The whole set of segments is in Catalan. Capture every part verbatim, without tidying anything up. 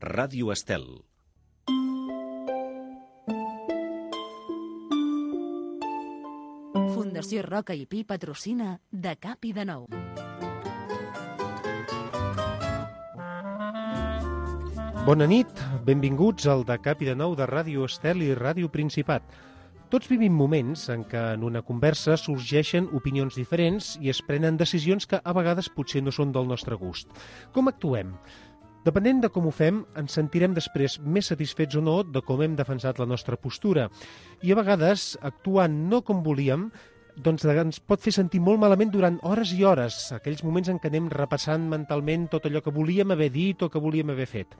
Ràdio Estel. Fundació Roca i Pi patrocina De Cap i de Nou. Bona nit, benvinguts al De Cap i de Nou de Ràdio Estel i Ràdio Principat. Tots vivim moments en què en una conversa sorgeixen opinions diferents i es prenen decisions que a vegades potser no són del nostre gust. Com actuem? Depenent de com ho fem, ens sentirem després més satisfets o no de com hem defensat la nostra postura. I a vegades, actuant no com volíem, doncs ens pot fer sentir molt malament durant hores i hores, aquells moments en què anem repassant mentalment tot allò que volíem haver dit o que volíem haver fet.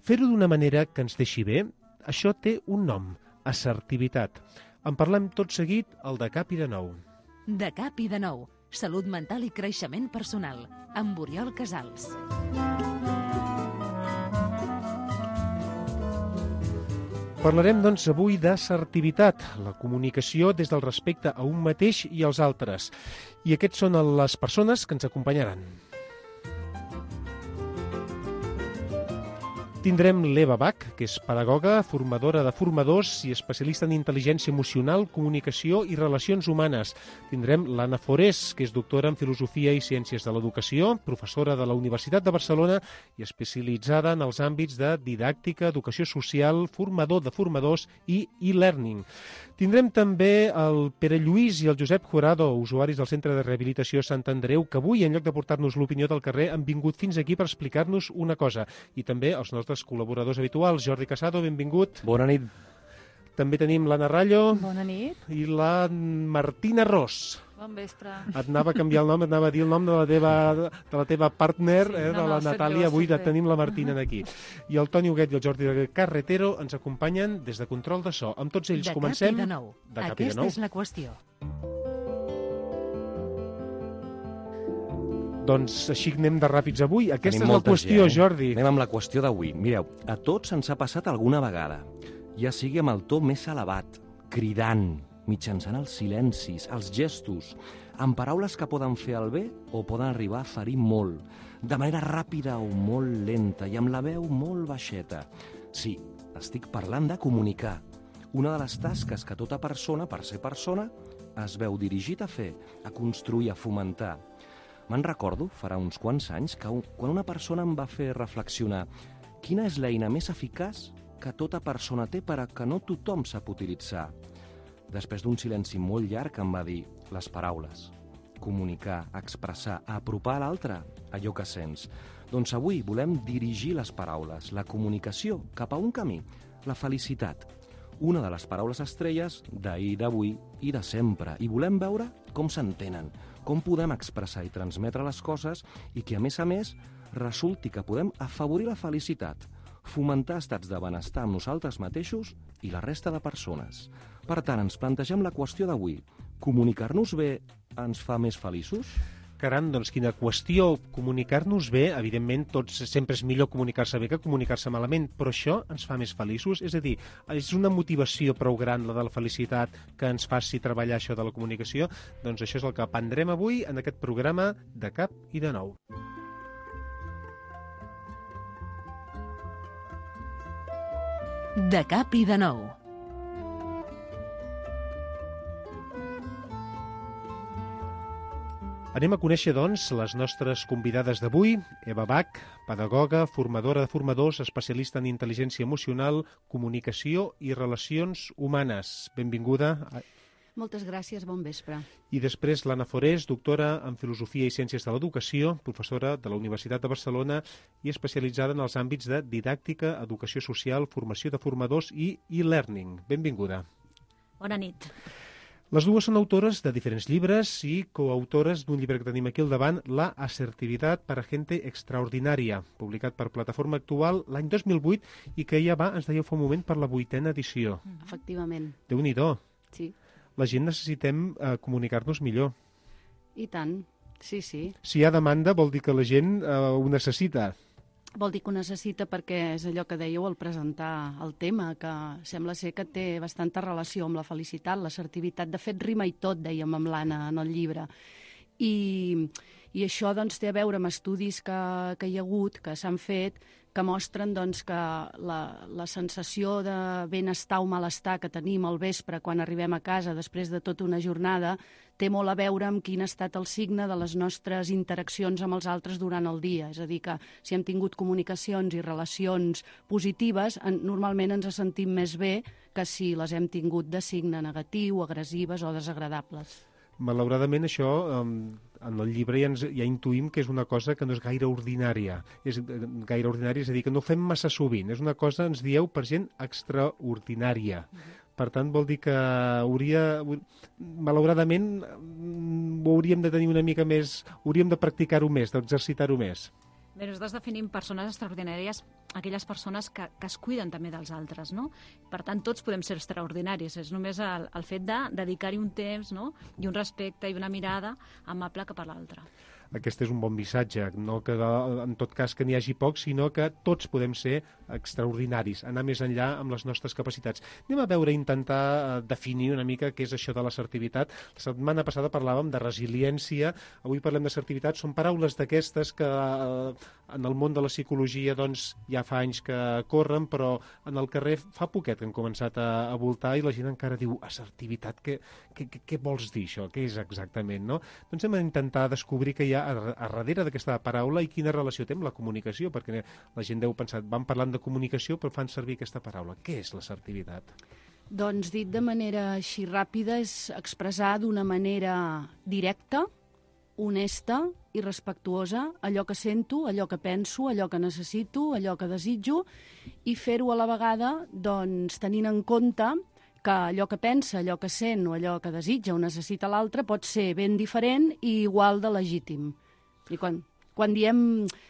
Fer-ho d'una manera que ens deixi bé, això té un nom, assertivitat. En parlem tot seguit al De Cap i de Nou. De Cap i de Nou, salut mental i creixement personal, amb Oriol Casals. Parlarem, doncs, avui d'assertivitat, la comunicació des del respecte a un mateix i als altres. I aquests són les persones que ens acompanyaran. Tindrem l'Eva Bach, que és pedagoga, formadora de formadors i especialista en intel·ligència emocional, comunicació i relacions humanes. Tindrem l'Anna Forés, que és doctora en filosofia i ciències de l'educació, professora de la Universitat de Barcelona i especialitzada en els àmbits de didàctica, educació social, formador de formadors i e-learning. Tindrem també el Pere Lluís i el Josep Jurado, usuaris del Centre de Rehabilitació Sant Andreu, que avui, en lloc de portar-nos l'opinió del carrer, han vingut fins aquí per explicar-nos una cosa. I també els nostres col·laboradors habituals. Jordi Casado, benvingut. Bona nit. També tenim l'Anna Rallo. Bona nit. I la Martina Ros. Bon vespre. Et anava a canviar el nom, et anava a dir el nom de la teva, de la teva partner, sí, eh, no, de la no, Natàlia. Avui bé. tenim la Martina d'aquí. I el Toni Huguet i el Jordi Carretero ens acompanyen des de Control de So. Amb tots ells de comencem... De Cap i de Nou. De Cap Aquesta i de Nou. és la qüestió. Doncs així anem de ràpids avui. Aquesta Tenim és la molta qüestió, gent, eh? Jordi. Anem amb la qüestió d'avui. Mireu, a tots ens ha passat alguna vegada, ja sigui amb el to més elevat, cridant, mitjançant els silencis, els gestos, amb paraules que poden fer el bé o poden arribar a ferir molt, de manera ràpida o molt lenta i amb la veu molt baixeta. Sí, estic parlant de comunicar, una de les tasques que tota persona, per ser persona, es veu dirigit a fer, a construir, a fomentar. Me'n recordo, farà uns quants anys, que quan una persona em va fer reflexionar quina és l'eina més eficaç que tota persona té per a que no tothom sap utilitzar. Després d'un silenci molt llarg em va dir les paraules. Comunicar, expressar, apropar a l'altre allò que sents. Doncs avui volem dirigir les paraules, la comunicació, cap a un camí, la felicitat. Una de les paraules estrelles d'ahir, d'avui i de sempre. I volem veure com s'entenen, com podem expressar i transmetre les coses i que, a més a més, resulti que podem afavorir la felicitat, fomentar estats de benestar amb nosaltres mateixos i la resta de persones. Per tant, ens plantegem la qüestió d'avui. Comunicar-nos bé ens fa més feliços? Caram, doncs quina qüestió. Comunicar-nos bé, evidentment, tots sempre és millor comunicar-se bé que comunicar-se malament, però això ens fa més feliços? És a dir, és una motivació prou gran, la de la felicitat, que ens faci treballar això de la comunicació? Doncs això és el que aprendrem avui en aquest programa De Cap i de Nou. De Cap i de Nou. Anem a conèixer, doncs, les nostres convidades d'avui. Eva Bach, pedagoga, formadora de formadors, especialista en intel·ligència emocional, comunicació i relacions humanes. Benvinguda. Moltes gràcies, bon vespre. I després l'Anna Forés, doctora en filosofia i ciències de l'educació, professora de la Universitat de Barcelona i especialitzada en els àmbits de didàctica, educació social, formació de formadors i e-learning. Benvinguda. Bona nit. Les dues són autores de diferents llibres i coautores d'un llibre que tenim aquí al davant, La asertivitat para gente extraordinària, publicat per Plataforma Actual l'any dos mil vuit i que ja va, ens dèieu fa un moment, per la vuitena edició. Efectivament. Déu-n'hi-do. Sí. La gent necessitem eh, comunicar-nos millor. I tant, sí, sí. Si hi ha demanda vol dir que la gent eh, ho necessita. Vol dir que ho necessita perquè és allò que dèieu al presentar el tema, que sembla ser que té bastanta relació amb la felicitat, l'assertivitat. De fet, rima i tot, dèiem amb l'Anna en el llibre. I, i això doncs, té a veure amb estudis que, que hi ha hagut, que s'han fet, que mostren doncs, que la, la sensació de benestar o malestar que tenim al vespre quan arribem a casa després de tota una jornada té molt a veure amb quin ha estat el signe de les nostres interaccions amb els altres durant el dia. És a dir, que si hem tingut comunicacions i relacions positives, en, normalment ens sentim més bé que si les hem tingut de signe negatiu, agressives o desagradables. Malauradament això, en el llibre ja, ens, ja intuïm que és una cosa que no és gaire ordinària. És gaire ordinària, és a dir, que no fem massa sovint. És una cosa, ens dieu, per gent extraordinària. Uh-huh. Per tant, vol dir que hauria, malauradament, ho hauríem de tenir una mica més, hauríem de practicar-ho més, d'exercitar-ho més. Bé, nosaltres definim persones extraordinàries aquelles persones que, que es cuiden també dels altres, no? Per tant, tots podem ser extraordinaris. És només el, el fet de dedicar-hi un temps, no? I un respecte i una mirada amable cap a l'altre. Aquest és un bon missatge, no que en tot cas que n'hi hagi pocs, sinó que tots podem ser extraordinaris, anar més enllà amb les nostres capacitats. Anem a veure, intentar definir una mica què és això de l'assertivitat. La setmana passada parlàvem de resiliència, avui parlem d'assertivitat. Són paraules d'aquestes que en el món de la psicologia doncs, ja fa anys que corren, però en el carrer fa poquet que han començat a, a voltar i la gent encara diu assertivitat, què, què, què vols dir això? Què és exactament? No? Doncs hem d'intentar descobrir què hi ha a, a darrere d'aquesta paraula i quina relació té amb la comunicació, perquè la gent deu pensar, van parlant de comunicació però fan servir aquesta paraula. Què és l'assertivitat? Doncs dit de manera així ràpida és expressar d'una manera directa, honesta i respectuosa allò que sento, allò que penso, allò que necessito, allò que desitjo i fer-ho a la vegada doncs, tenint en compte que allò que pensa, allò que sent o allò que desitja o necessita l'altre pot ser ben diferent i igual de legítim. I quan, quan diem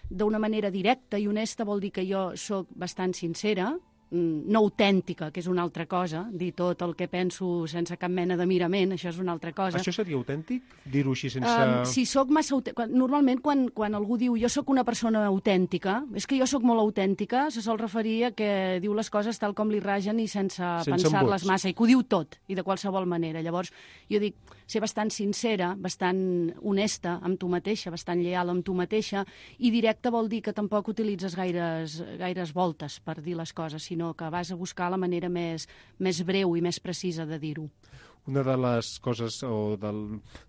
d'una manera directa i honesta vol dir que jo sóc bastant sincera, no autèntica, que és una altra cosa, dir tot el que penso sense cap mena de mirament, això és una altra cosa. Això seria autèntic? Dir-ho així sense... Um, si soc massa autèntica... Normalment, quan, quan algú diu jo sóc una persona autèntica, és que jo sóc molt autèntica, se sol referir a que diu les coses tal com li ragen i sense, sense pensar-les embuts. Massa, i que ho diu tot, i de qualsevol manera. Llavors, jo dic, ser bastant sincera, bastant honesta amb tu mateixa, bastant lleial amb tu mateixa, i directe vol dir que tampoc utilitzes gaires, gaires voltes per dir les coses, sinó que vas a buscar la manera més, més breu i més precisa de dir-ho. Una de les coses, o del,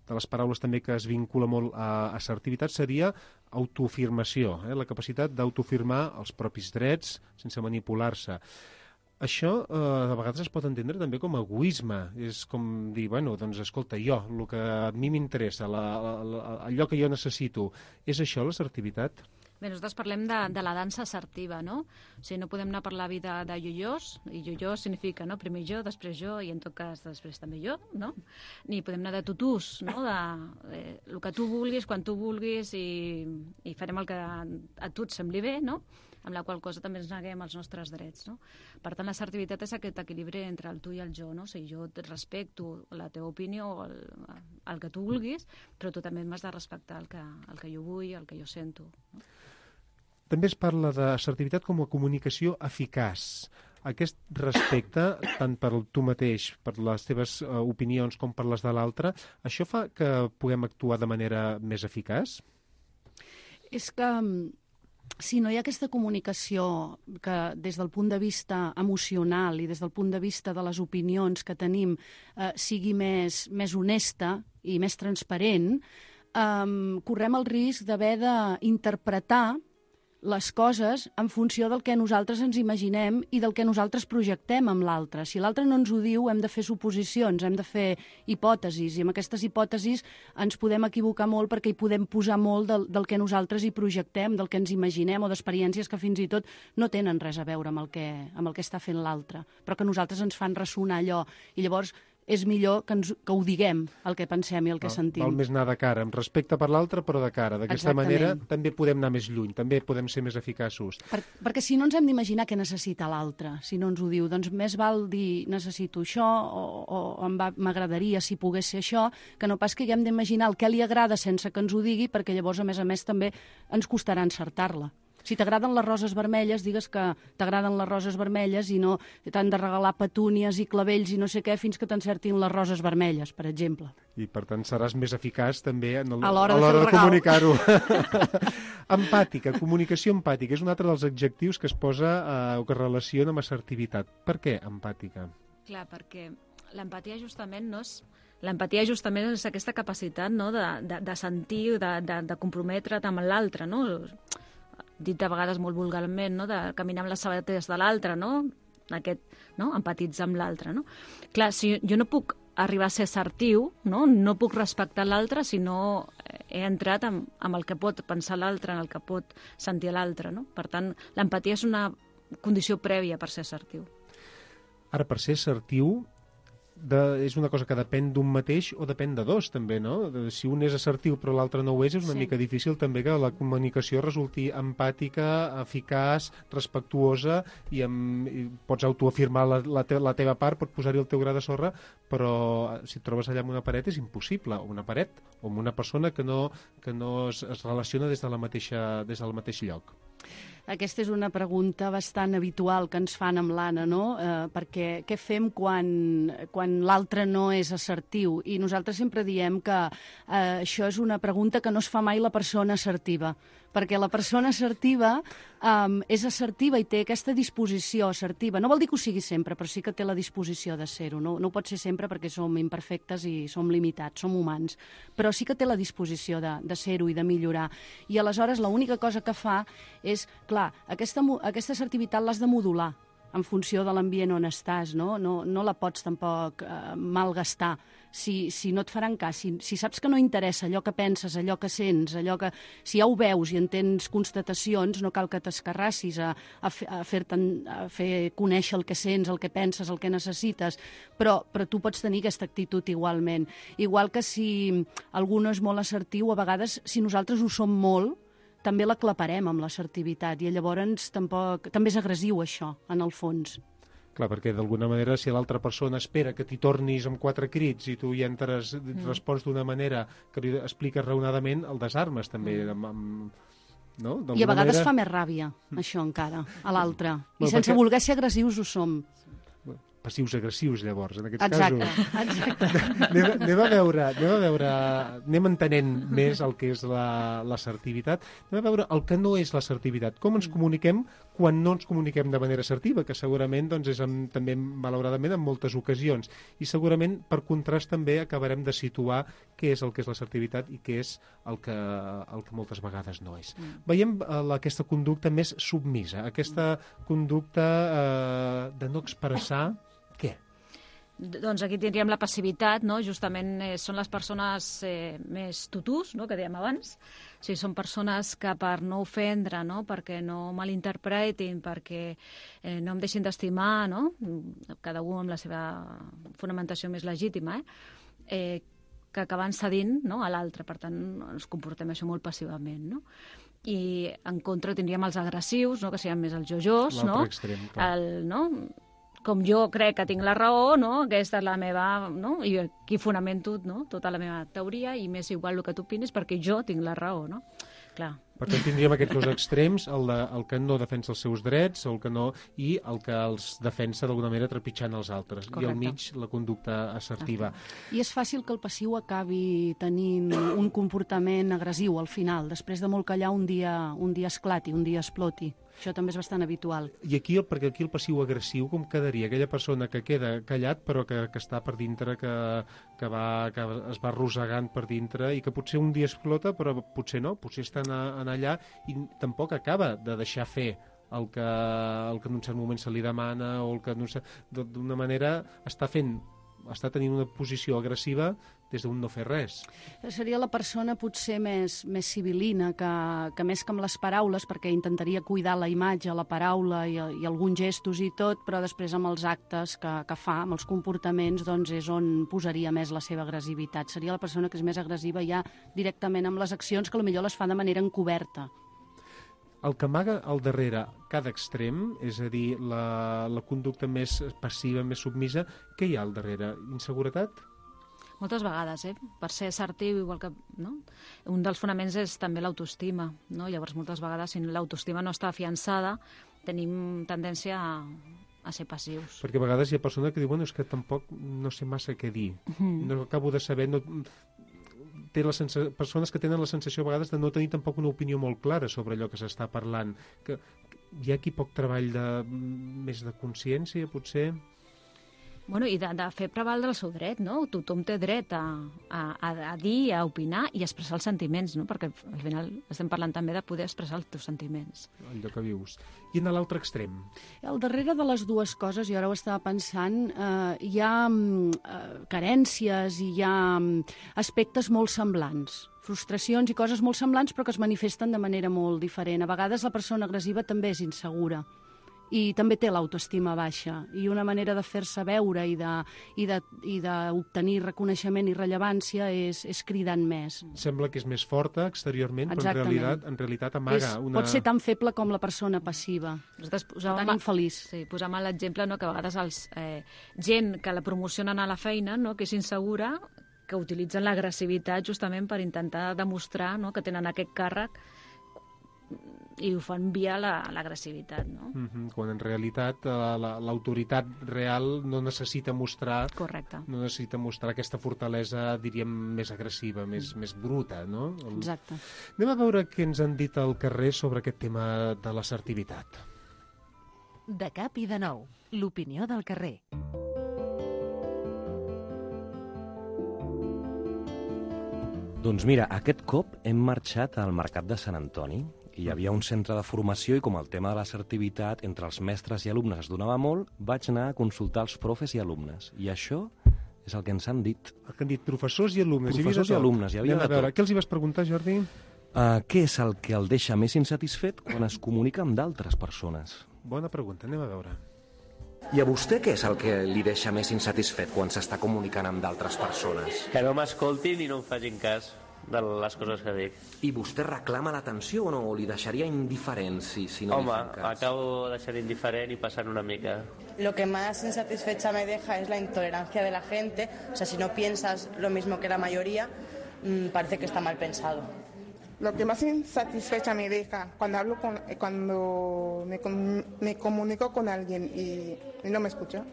de les paraules també que es vincula molt a assertivitat seria autoafirmació, eh? La capacitat d'autoafirmar els propis drets sense manipular-se. Això eh, a vegades es pot entendre també com a egoisme. És com dir, bueno, doncs escolta, jo, el que a mi m'interessa, allò que jo necessito, és això l'assertivitat? Bé, nosaltres parlem de, de la dansa assertiva, no? O sigui, no podem anar per la vida de yo-yos, i yo-yo significa, no?, primer jo, després jo, i en tot cas després també jo, no? Ni podem anar de tutús, no?, de eh, el que tu vulguis, quan tu vulguis, i, i farem el que a tu et sembli bé, no?, amb la qual cosa també ens neguem els nostres drets, no? Per tant, l'assertivitat és aquest equilibri entre el tu i el jo, no? O sigui, jo et respecto la teva opinió, el, el que tu vulguis, però tu també m'has de respectar el que, el que jo vull, el que jo sento, no? També es parla d'assertivitat com a comunicació eficaç. Aquest respecte, tant per tu mateix, per les teves uh, opinions com per les de l'altre, això fa que puguem actuar de manera més eficaç? És que si no hi ha aquesta comunicació que des del punt de vista emocional i des del punt de vista de les opinions que tenim eh, sigui més, més honesta i més transparent, eh, correm el risc d'haver d'interpretar les coses en funció del que nosaltres ens imaginem i del que nosaltres projectem amb l'altre. Si l'altre no ens ho diu, hem de fer suposicions, hem de fer hipòtesis, i amb aquestes hipòtesis ens podem equivocar molt perquè hi podem posar molt del, del que nosaltres hi projectem, del que ens imaginem o d'experiències que fins i tot no tenen res a veure amb el que, amb el que està fent l'altre, però que a nosaltres ens fan ressonar allò. I llavors és millor que, ens, que ho diguem, el que pensem i el que sentim. Val més anar de cara, amb respecte per l'altre, però de cara. D'aquesta manera també podem anar més lluny, també podem ser més eficaços. Per, perquè si no ens hem d'imaginar què necessita l'altre, si no ens ho diu, doncs més val dir necessito això o, o m'agradaria si pogués ser això, que no pas que haguem d'imaginar el que li agrada sense que ens ho digui, perquè llavors, a més a més, també ens costarà encertar-la. Si t'agraden les roses vermelles, digues que t'agraden les roses vermelles i no t'han de regalar petúnies i clavells i no sé què fins que t'encertin les roses vermelles, per exemple. I, per tant, seràs més eficaç també en el, a l'hora de, de, de comunicar-ho. Empàtica, comunicació empàtica, és un altre dels adjectius que es posa eh, o que es relaciona amb assertivitat. Per què empàtica? Clar, perquè l'empatia justament no és... L'empatia justament és aquesta capacitat, no?, de, de, de sentir, de, de, de comprometre't amb l'altre, no? Dit de vegades molt vulgarment, no?, de caminar amb les sabates de l'altre, no? Aquest, no?, empatitzar amb l'altre, no? Clar, si jo no puc arribar a ser assertiu, no, no puc respectar l'altre si no he entrat amb, amb el que pot pensar l'altre, en el que pot sentir l'altre, no? Per tant, l'empatia és una condició prèvia per ser assertiu. Ara, per ser assertiu, de, és una cosa que depèn d'un mateix o depèn de dos, també, no? De, si un és assertiu però l'altre no ho és, és una sí. mica difícil també que la comunicació resulti empàtica, eficaç, respectuosa i, amb, i pots autoafirmar la, la, te, la teva part, pots posar-hi el teu gra de sorra, però si et trobes allà amb una paret és impossible, o una paret, o amb una persona que no, que no es, es relaciona des, de la mateixa, des del mateix lloc. Aquesta és una pregunta bastant habitual que ens fan amb l'Anna, no? Eh, perquè què fem quan, quan l'altre no és assertiu? I nosaltres sempre diem que eh, això és una pregunta que no es fa mai la persona assertiva, perquè la persona assertiva um, és assertiva i té aquesta disposició assertiva. No vol dir que ho sigui sempre, però sí que té la disposició de ser-ho. No, no ho pot ser sempre perquè som imperfectes i som limitats, som humans, però sí que té la disposició de, de ser-ho i de millorar. I aleshores l'única cosa que fa és, clar, aquesta, aquesta assertivitat l'has de modular en funció de l'ambient on estàs, no? No, no la pots tampoc eh, malgastar. Si, si no et faran cas, si, si saps que no interessa allò que penses, allò que sents, allò que... Si ja ho veus i en tens constatacions, no cal que t'escarrassis a, a, a, fer a fer conèixer el que sents, el que penses, el que necessites, però, però tu pots tenir aquesta actitud igualment. Igual que si algú no és molt assertiu, a vegades, si nosaltres ho som molt, també l'aclaparem amb l'assertivitat i llavors tampoc, també és agressiu això, en el fons. Clar, perquè d'alguna manera si l'altra persona espera que t'hi tornis amb quatre crits i tu hi entres, mm. respons d'una manera que li expliques raonadament, el desarmes també. Mm. Amb, amb, no? I a vegades manera... fa més ràbia, això encara, a l'altre. I bueno, sense perquè... voler ser agressius ho som. Passius agressius, llavors, en aquests exacte, casos. Exacte, anem, anem a veure, anem a veure, anem entenent més el que és l'assertivitat, anem a veure el que no és l'assertivitat, com ens comuniquem quan no ens comuniquem de manera assertiva, que segurament doncs, és amb, també, malauradament, en moltes ocasions. I segurament, per contrast, també acabarem de situar què és el que és l'assertivitat i què és el que, el que moltes vegades no és. Mm. Veiem uh, aquesta conducta més submisa, aquesta conducta uh, de no expressar què? Doncs aquí tindríem la passivitat, no? Justament eh, són les persones eh, més tutús, no? Que dèiem abans. O sigui, són persones que per no ofendre, no? Perquè no malinterpretin, perquè eh, no em deixin d'estimar, no? Cada un amb la seva fonamentació més legítima, eh? eh que acaben cedint, no? A l'altre. Per tant, ens comportem això molt passivament, no? I en contra tindríem els agressius, no? Que serien més els jojós, no? L'altre extrem, clar. El, no? Com jo crec que tinc la raó, no? Aquesta és la meva... No? I aquí fonamento, no? Tota la meva teoria i m'és igual el que tu opinis perquè jo tinc la raó, no? Clar. Per tant, tindríem aquests dos extrems, el, de, el que no defensa els seus drets el que no, i el que els defensa d'alguna manera trepitjant els altres. Correcte. I al mig la conducta assertiva. I és fàcil que el passiu acabi tenint un comportament agressiu al final, després de molt callar un dia, un dia esclati, un dia exploti. Això també és bastant habitual. I aquí, perquè aquí el passiu agressiu com quedaria? Aquella persona que queda callat però que, que està per dintre, que, que, va, que es va arrossegant per dintre i que potser un dia explota però potser no, potser està en, en allà i tampoc acaba de deixar fer el que, el que en un cert moment se li demana o el que d'una manera està fent, està tenint una posició agressiva des d'un no fer res. Seria la persona potser més, més civilina, que, que més que amb les paraules, perquè intentaria cuidar la imatge, la paraula i, i alguns gestos i tot, però després amb els actes que, que fa, amb els comportaments, doncs és on posaria més la seva agressivitat. Seria la persona que és més agressiva ja directament amb les accions, que potser les fa de manera encoberta. El que amaga al darrere cada extrem, és a dir, la, la conducta més passiva, més submisa, què hi ha al darrere? Inseguretat? Moltes vegades, eh? Per ser assertiu, igual que... No? Un dels fonaments és també l'autoestima, no? Llavors, moltes vegades, si l'autoestima no està afiançada, tenim tendència a, a ser passius. Perquè a vegades hi ha persones que diuen, bueno, és que tampoc no sé massa què dir. Mm. No acabo de saber... No... Té la sensa... Persones que tenen la sensació a vegades de no tenir tampoc una opinió molt clara sobre allò que s'està parlant. Que hi ha aquí poc treball de... més de consciència, potser... Bueno, i de, de fer prevaldre el seu dret, no? Tothom té dret a, a, a dir, a opinar i a expressar els sentiments, no? Perquè al final estem parlant també de poder expressar els teus sentiments. Allò que vius. I en l'altre extrem? Al darrere de les dues coses, jo ara ho estava pensant, eh, hi ha eh, carències i hi ha aspectes molt semblants. Frustracions i coses molt semblants però que es manifesten de manera molt diferent. A vegades la persona agressiva també és insegura i també té l'autoestima baixa, i una manera de fer-se veure i de, i de, i d'obtenir reconeixement i rellevància és, és cridant més. Sembla que és més forta exteriorment, Exactament. però en realitat, en realitat amaga és, una... Pot ser tan feble com la persona passiva, tan infeliç. Sí, posàvem l'exemple, no, que a vegades els, eh, gent que la promocionen a la feina, no, que és insegura, que utilitzen l'agressivitat justament per intentar demostrar, no, que tenen aquest càrrec i ho fan via l'agressivitat, la, no? Mm-hmm, quan en realitat l'autoritat real no necessita mostrar... Correcte. No necessita mostrar aquesta fortalesa, diríem, més agressiva, més, mm. més bruta, no? El... Exacte. Anem a veure què ens han dit al carrer sobre aquest tema de l'assertivitat. De cap i de nou, l'opinió del carrer. Doncs mira, aquest cop hem marxat al Mercat de Sant Antoni. Hi havia un centre de formació i com el tema de l'assertivitat entre els mestres i alumnes es donava molt, vaig anar a consultar els profes i alumnes. I això és el que ens han dit. El que han dit professors i alumnes. Professors i, i alumnes, hi havia Anem de a veure, tot. què els hi vas preguntar, Jordi? Uh, què és el que el deixa més insatisfet quan es comunica amb d'altres persones? Bona pregunta, anem a veure. I a vostè què és el que li deixa més insatisfet quan s'està comunicant amb d'altres persones? Que no m'escoltin i no em facin cas de les coses que dic. I vostè reclama l'atenció o no? O li deixaria indiferent si, si no Home, li fan cas? acabo de ser indiferent y passant una mica. Lo que más insatisfecha me deja es la intolerancia de la gente. O sea, si no piensas lo mismo que la mayoría, mmm, parece que está mal pensado. Lo que más insatisfecha me deja cuando hablo con, cuando me, me comunico con alguien y, y no me escucha.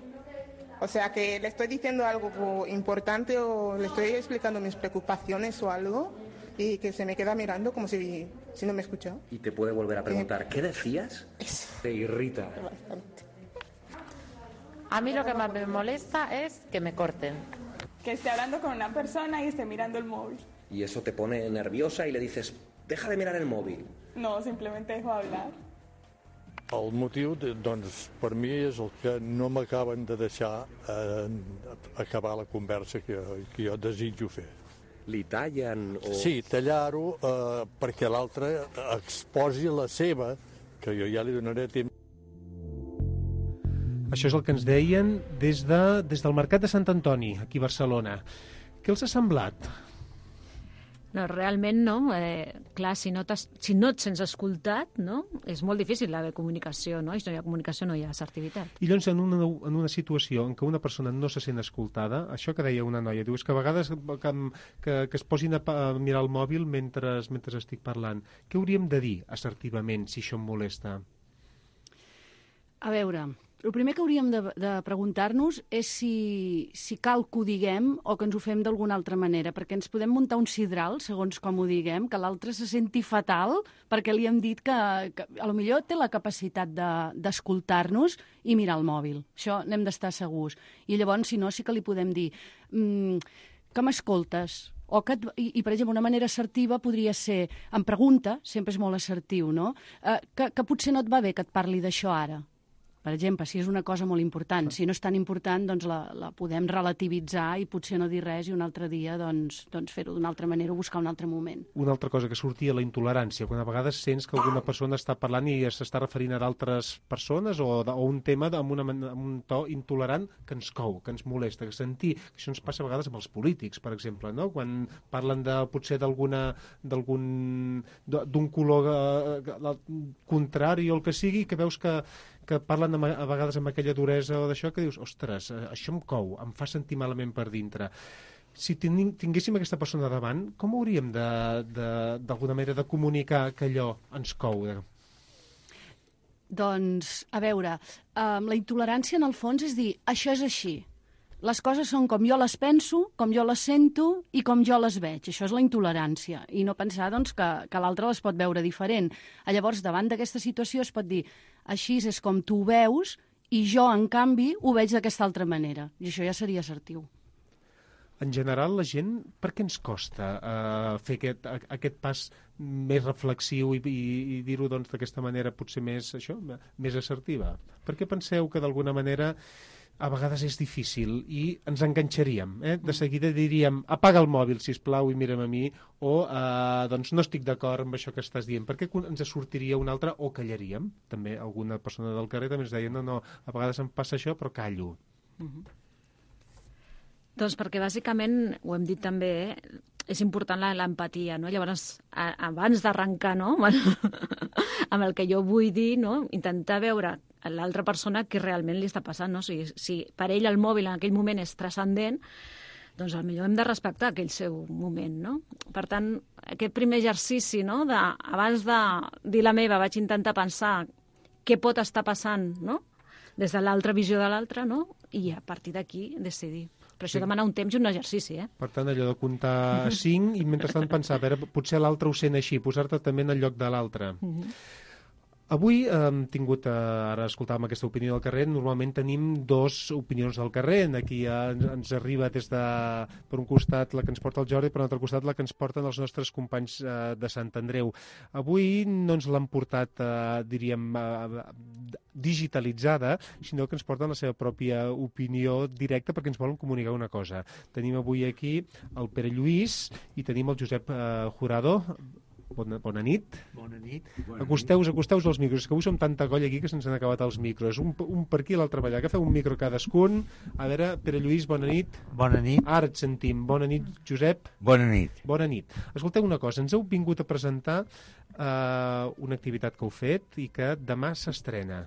O sea, que le estoy diciendo algo importante o le estoy explicando mis preocupaciones o algo y que se me queda mirando como si, si no me escucha. Y te puede volver a preguntar, eh, ¿qué decías? Eso. Te irrita. A mí lo que más me molesta es que me corten. Que esté hablando con una persona y esté mirando el móvil. Y eso te pone nerviosa y le dices, deja de mirar el móvil. No, simplemente dejo hablar. El motiu, doncs, per mi és el que no m'acaben de deixar eh, acabar la conversa que, que jo desitjo fer. Li tallen o... Sí, tallar-ho eh, perquè l'altre exposi la seva, que jo ja li donaré temps. Això és el que ens deien des, de, des del Mercat de Sant Antoni, aquí a Barcelona. Què els ha semblat? No, realment no. Eh, clar, si no, si no et sents escoltat, no? És molt difícil haver comunicació, no? I si no hi ha comunicació no hi ha assertivitat. I llavors, en una, en una situació en què una persona no se sent escoltada, això que deia una noia, diu, és que a vegades que, que, que es posin a, a mirar el mòbil mentre, mentre estic parlant. Què hauríem de dir assertivament si això em molesta? A veure, el primer que hauríem de, de preguntar-nos és si, si cal que ho diguem o que ens ho fem d'alguna altra manera, perquè ens podem muntar un sidral, segons com ho diguem, que l'altre se senti fatal perquè li hem dit que, que a lo millor té la capacitat d'escoltar-nos de, i mirar el mòbil. Això n'hem d'estar segurs. I llavors, si no, sí que li podem dir mmm, que m'escoltes, o que, i, i, per exemple, una manera assertiva podria ser, em pregunta, sempre és molt assertiu, no? Eh, que, que potser no et va bé que et parli d'això ara. Per exemple, si és una cosa molt important. Si no és tan important, doncs la, la podem relativitzar i potser no dir res i un altre dia doncs, doncs fer-ho d'una altra manera o buscar un altre moment. Una altra cosa que sortia, la intolerància. Quan a vegades sents que alguna persona està parlant i s'està referint a d'altres persones o, o un tema amb, una, amb un to intolerant que ens cou, que ens molesta, que sentir. Això ens passa a vegades amb els polítics, per exemple, no? Quan parlen de, potser d'alguna d'algun d'un color eh, contrari o el que sigui, que veus que que parlen a vegades amb aquella duresa o d'això, que dius, ostres, això em cou, em fa sentir malament per dintre. si tinguéssim aquesta persona davant, com hauríem d'alguna manera de comunicar que allò ens cou? Doncs, a veure, eh, la intolerància en el fons és dir, això és així. Les coses són com jo les penso, com jo les sento i com jo les veig. Això és la intolerància. I no pensar doncs, que, que l'altre les pot veure diferent. Llavors, davant d'aquesta situació es pot dir així és com tu ho veus i jo, en canvi, ho veig d'aquesta altra manera. I això ja seria assertiu. En general, la gent, per què ens costa uh, fer aquest, aquest pas més reflexiu i, i, i dir-ho doncs, d'aquesta manera potser més, això, més assertiva? Per què penseu que d'alguna manera a vegades és difícil i ens enganxaríem? Eh? De seguida diríem, apaga el mòbil, sisplau, i mira'm a mi, o uh, doncs no estic d'acord amb això que estàs dient. Per què ens sortiria un altre o callaríem? També alguna persona del carrer també ens deia, no, no, a vegades em passa això, però callo. Uh-huh. Doncs perquè bàsicament, ho hem dit també, eh, és important l'empatia, no? Llavors, a, abans d'arrencar, no?, amb el que jo vull dir, no?, intentar veure a l'altra persona què realment li està passant, no? Si, si per ell el mòbil en aquell moment és transcendent, doncs potser hem de respectar aquell seu moment, no? Per tant, aquest primer exercici, no?, de, abans de dir la meva, vaig intentar pensar què pot estar passant, no?, des de l'altra visió de l'altra, no?, i a partir d'aquí decidir. Però això sí. Demana un temps i un exercici, eh? Per tant, allò de comptar cinc i mentrestant pensar, a veure, potser l'altre ho sent així, posar-te també en el lloc de l'altre. Uh-huh. Avui hem tingut, eh, ara escoltàvem aquesta opinió del carrer, normalment tenim dos opinions del carrer, aquí ja ens arriba des de, per un costat la que ens porta el Jordi, per un altre costat la que ens porten els nostres companys eh, de Sant Andreu. Avui no ens l'han portat, eh, diríem, eh, digitalitzada, sinó que ens porten la seva pròpia opinió directa perquè ens volen comunicar una cosa. Tenim avui aquí el Pere Lluís i tenim el Josep eh, Jurado. Bona, bona nit. Bona nit. Acosteu-vos, acosteu-vos als micros, que avui som tanta colla aquí que se'ns han acabat els micros. Un, un per aquí i l'altre per allà. Agafeu un micro cadascun. A veure, Pere Lluís, bona nit. Bona nit. Ara et sentim. Bona nit, Josep. Bona nit. Bona nit. Escolteu una cosa, ens heu vingut a presentar eh, una activitat que heu fet i que demà s'estrena.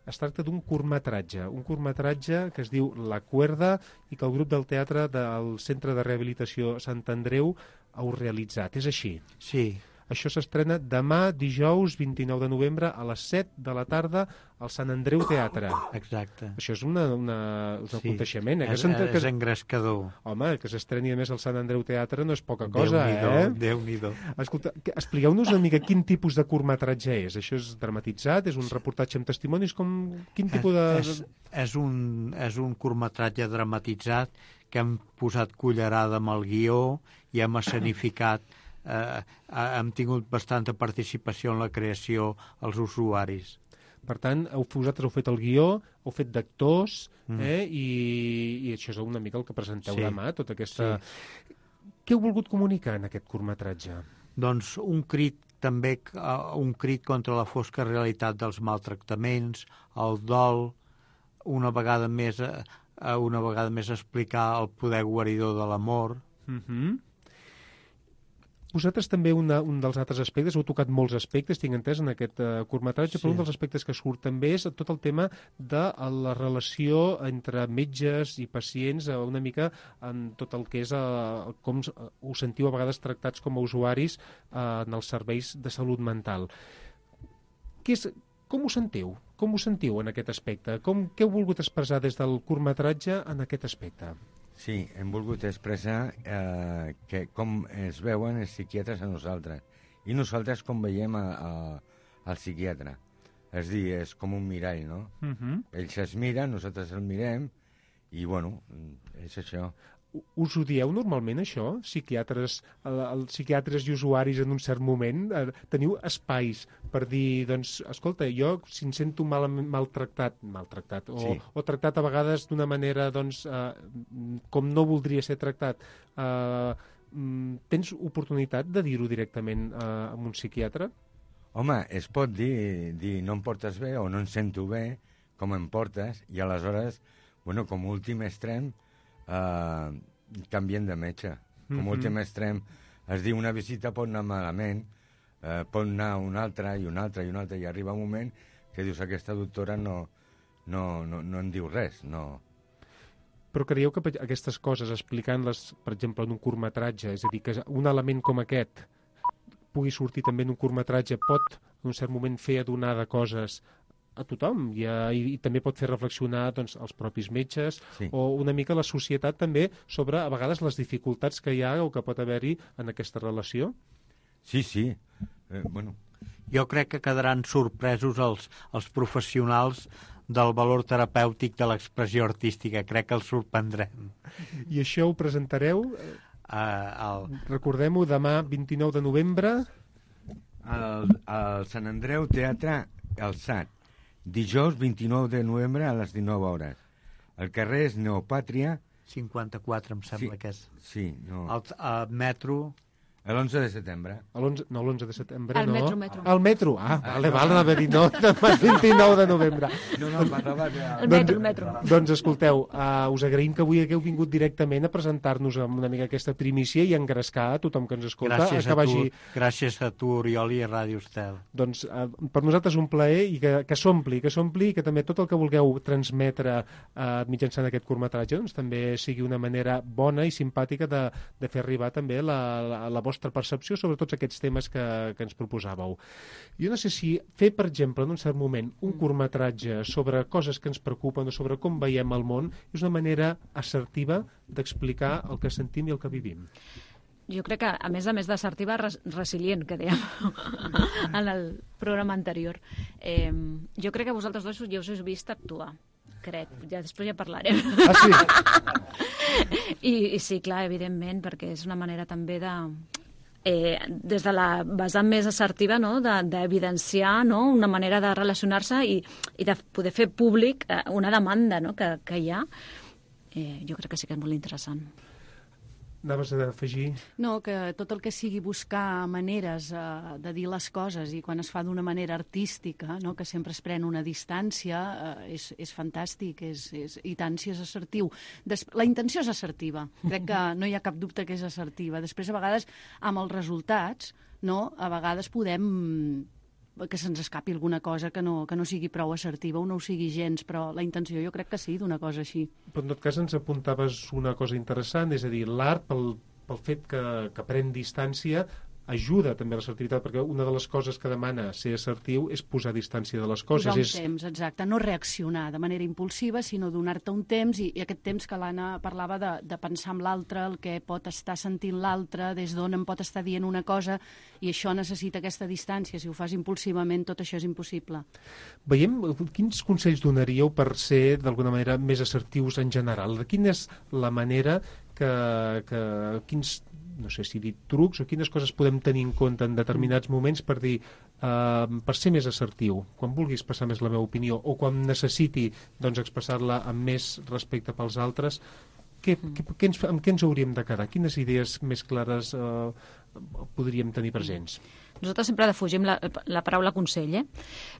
Es tracta d'un curtmetratge, un curtmetratge que es diu La Cuerda i que el grup del teatre del Centre de Rehabilitació Sant Andreu heu realitzat. És així? Sí. Això s'estrena demà, dijous, vint-i-nou de novembre, a les set de la tarda, al Sant Andreu Teatre. Exacte. Això és, una, una, un sí. aconteixement. Eh? És, que és engrescador. Home, que s'estreni a més al Sant Andreu Teatre no és poca cosa, eh? Déu-n'hi-do. Escolta, expliqueu-nos una mica quin tipus de curtmetratge és. Això és dramatitzat? És un reportatge amb testimonis? Com, quin tipus de... És, és, un, és un curtmetratge dramatitzat que hem posat cullerada amb el guió i hem escenificat. Eh, hem tingut bastanta participació en la creació als usuaris. Per tant, heu, vosaltres heu fet el guió, heu fet d'actors, mm. eh, i, i això és una mica el que presenteu sí. demà, tota aquesta... Sí. Què heu volgut comunicar en aquest curtmetratge? Doncs un crit també, un crit contra la fosca realitat dels maltractaments, el dol, una vegada més, una vegada més explicar el poder guaridor de l'amor. Mhm. Vosaltres també una, un dels altres aspectes, heu tocat molts aspectes, tinc entès, en aquest uh, curtmetratge, sí. Però un dels aspectes que surt també és tot el tema de la relació entre metges i pacients, uh, una mica en tot el que és uh, com uh, us sentiu a vegades tractats com a usuaris uh, en els serveis de salut mental. Què és, com us sentiu? Com us sentiu en aquest aspecte? Com, què heu volgut expressar des del curtmetratge en aquest aspecte? Sí, hem volgut expressar eh, que com es veuen els psiquiatres a nosaltres i nosaltres com veiem a, a, al psiquiatre. És dir, és com un mirall, no? Uh-huh. Ells es miren, nosaltres el mirem i, bueno, és això. Us ho dieu normalment, això? Psiquiatres, el, el, psiquiatres i usuaris en un cert moment? Eh, teniu espais per dir, doncs, escolta, jo si em sento mal, maltractat, maltractat, o, sí. o tractat a vegades d'una manera, doncs, eh, com no voldria ser tractat, eh, tens oportunitat de dir-ho directament eh, amb un psiquiatre? Home, es pot dir, dir no em portes bé o no em sento bé, com em portes, i aleshores, bueno, com a últim extrem, Uh, canvien de metge. Com mm-hmm. últim extrem es diu una visita pot anar malament, uh, pot anar una altra i una altra i una altra i arriba un moment que dius aquesta doctora no, no, no, no en diu res, no. Però creieu que aquestes coses, explicant-les, per exemple, en un curtmetratge, és a dir, que un element com aquest pugui sortir també en un curtmetratge, pot, en un cert moment, fer adonar de coses a tothom i, a, i, i també pot fer reflexionar doncs, els propis metges sí. o una mica la societat també sobre, a vegades, les dificultats que hi ha o que pot haver-hi en aquesta relació? Sí, sí. Eh, bueno. Jo crec que quedaran sorpresos els, els professionals del valor terapèutic de l'expressió artística. Crec que els sorprendrem. I això ho presentareu? Uh, el... Recordem-ho, demà vint-i-nou de novembre. Al, al Sant Andreu Teatre Alçat. Dijous vint-i-nou de novembre a les dinou hores. El carrer és Neopàtria. cinquanta-quatre, em sembla sí, que és. Sí, no. El, el metro... L'onze de setembre. No, l'onze de setembre, el no. metro, metro. El metro, ah, ah vale, no. Val, anava a dir no, vint-i-nou de novembre. No, no, parlava de... El metro, el metro. Doncs escolteu, uh, us agraïm que avui hagueu vingut directament a presentar-nos amb una mica aquesta primícia i engrescar a tothom que ens escolta. Gràcies a, a, vagi... tu, gràcies a tu, Oriol, i a Ràdio Estel. Doncs uh, per nosaltres un plaer i que, que s'ompli, que s'ompli i que també tot el que vulgueu transmetre uh, mitjançant aquest curtmetratge doncs, també sigui una manera bona i simpàtica de, de fer arribar també la, la, la vostra percepció sobre tots aquests temes que, que ens proposàveu. Jo no sé si fer, per exemple, en un cert moment, un curtmetratge sobre coses que ens preocupen o sobre com veiem el món és una manera assertiva d'explicar el que sentim i el que vivim. Jo crec que, a més a més d'assertiva, res, resilient, que dèiem en el programa anterior. Eh, jo crec que vosaltres dos ja us heu vist actuar. Crec, ja després ja parlarem. Ah, sí? I, I sí, clar, evidentment, perquè és una manera també de... Eh, des de la vessant més assertiva, no? d'evidenciar de, no? una manera de relacionar-se i, i de poder fer públic eh, una demanda no? que, que hi ha, eh, jo crec que sí que és molt interessant. Anaves a afegir? No, que tot el que sigui buscar maneres eh, de dir les coses i quan es fa d'una manera artística, no? Que sempre es pren una distància, eh, és, és fantàstic, és, és, i tant si és assertiu. Des, la intenció és assertiva, crec que no hi ha cap dubte que és assertiva. Després, a vegades, amb els resultats, no? A vegades podem... que se'ns escapi alguna cosa que no, que no sigui prou assertiva o no ho sigui gens, però la intenció jo crec que sí, d'una cosa així. Però en tot cas ens apuntaves una cosa interessant, és a dir, l'art, pel, pel fet que, que pren distància, ajuda també a l'assertivitat, perquè una de les coses que demana ser assertiu és posar distància de les coses. Posar un és... temps, exacte, no reaccionar de manera impulsiva, sinó donar-te un temps, i, i aquest temps que l'Anna parlava de, de pensar en l'altre, el que pot estar sentint l'altre, des d'on em pot estar dient una cosa, i això necessita aquesta distància. Si ho fas impulsivament, tot això és impossible. Veiem, quins consells donaríeu per ser, d'alguna manera, més assertius en general? Quina és la manera que... que quins no sé si dir trucs o quines coses podem tenir en compte en determinats moments per dir, uh, per ser més assertiu, quan vulguis passar més la meva opinió o quan necessiti doncs, expressar-la amb més respecte pels altres, què, què, què ens, amb què ens hauríem de quedar? Quines idees més clares uh, podríem tenir presents? Nosaltres sempre defugim la, la paraula consell, eh?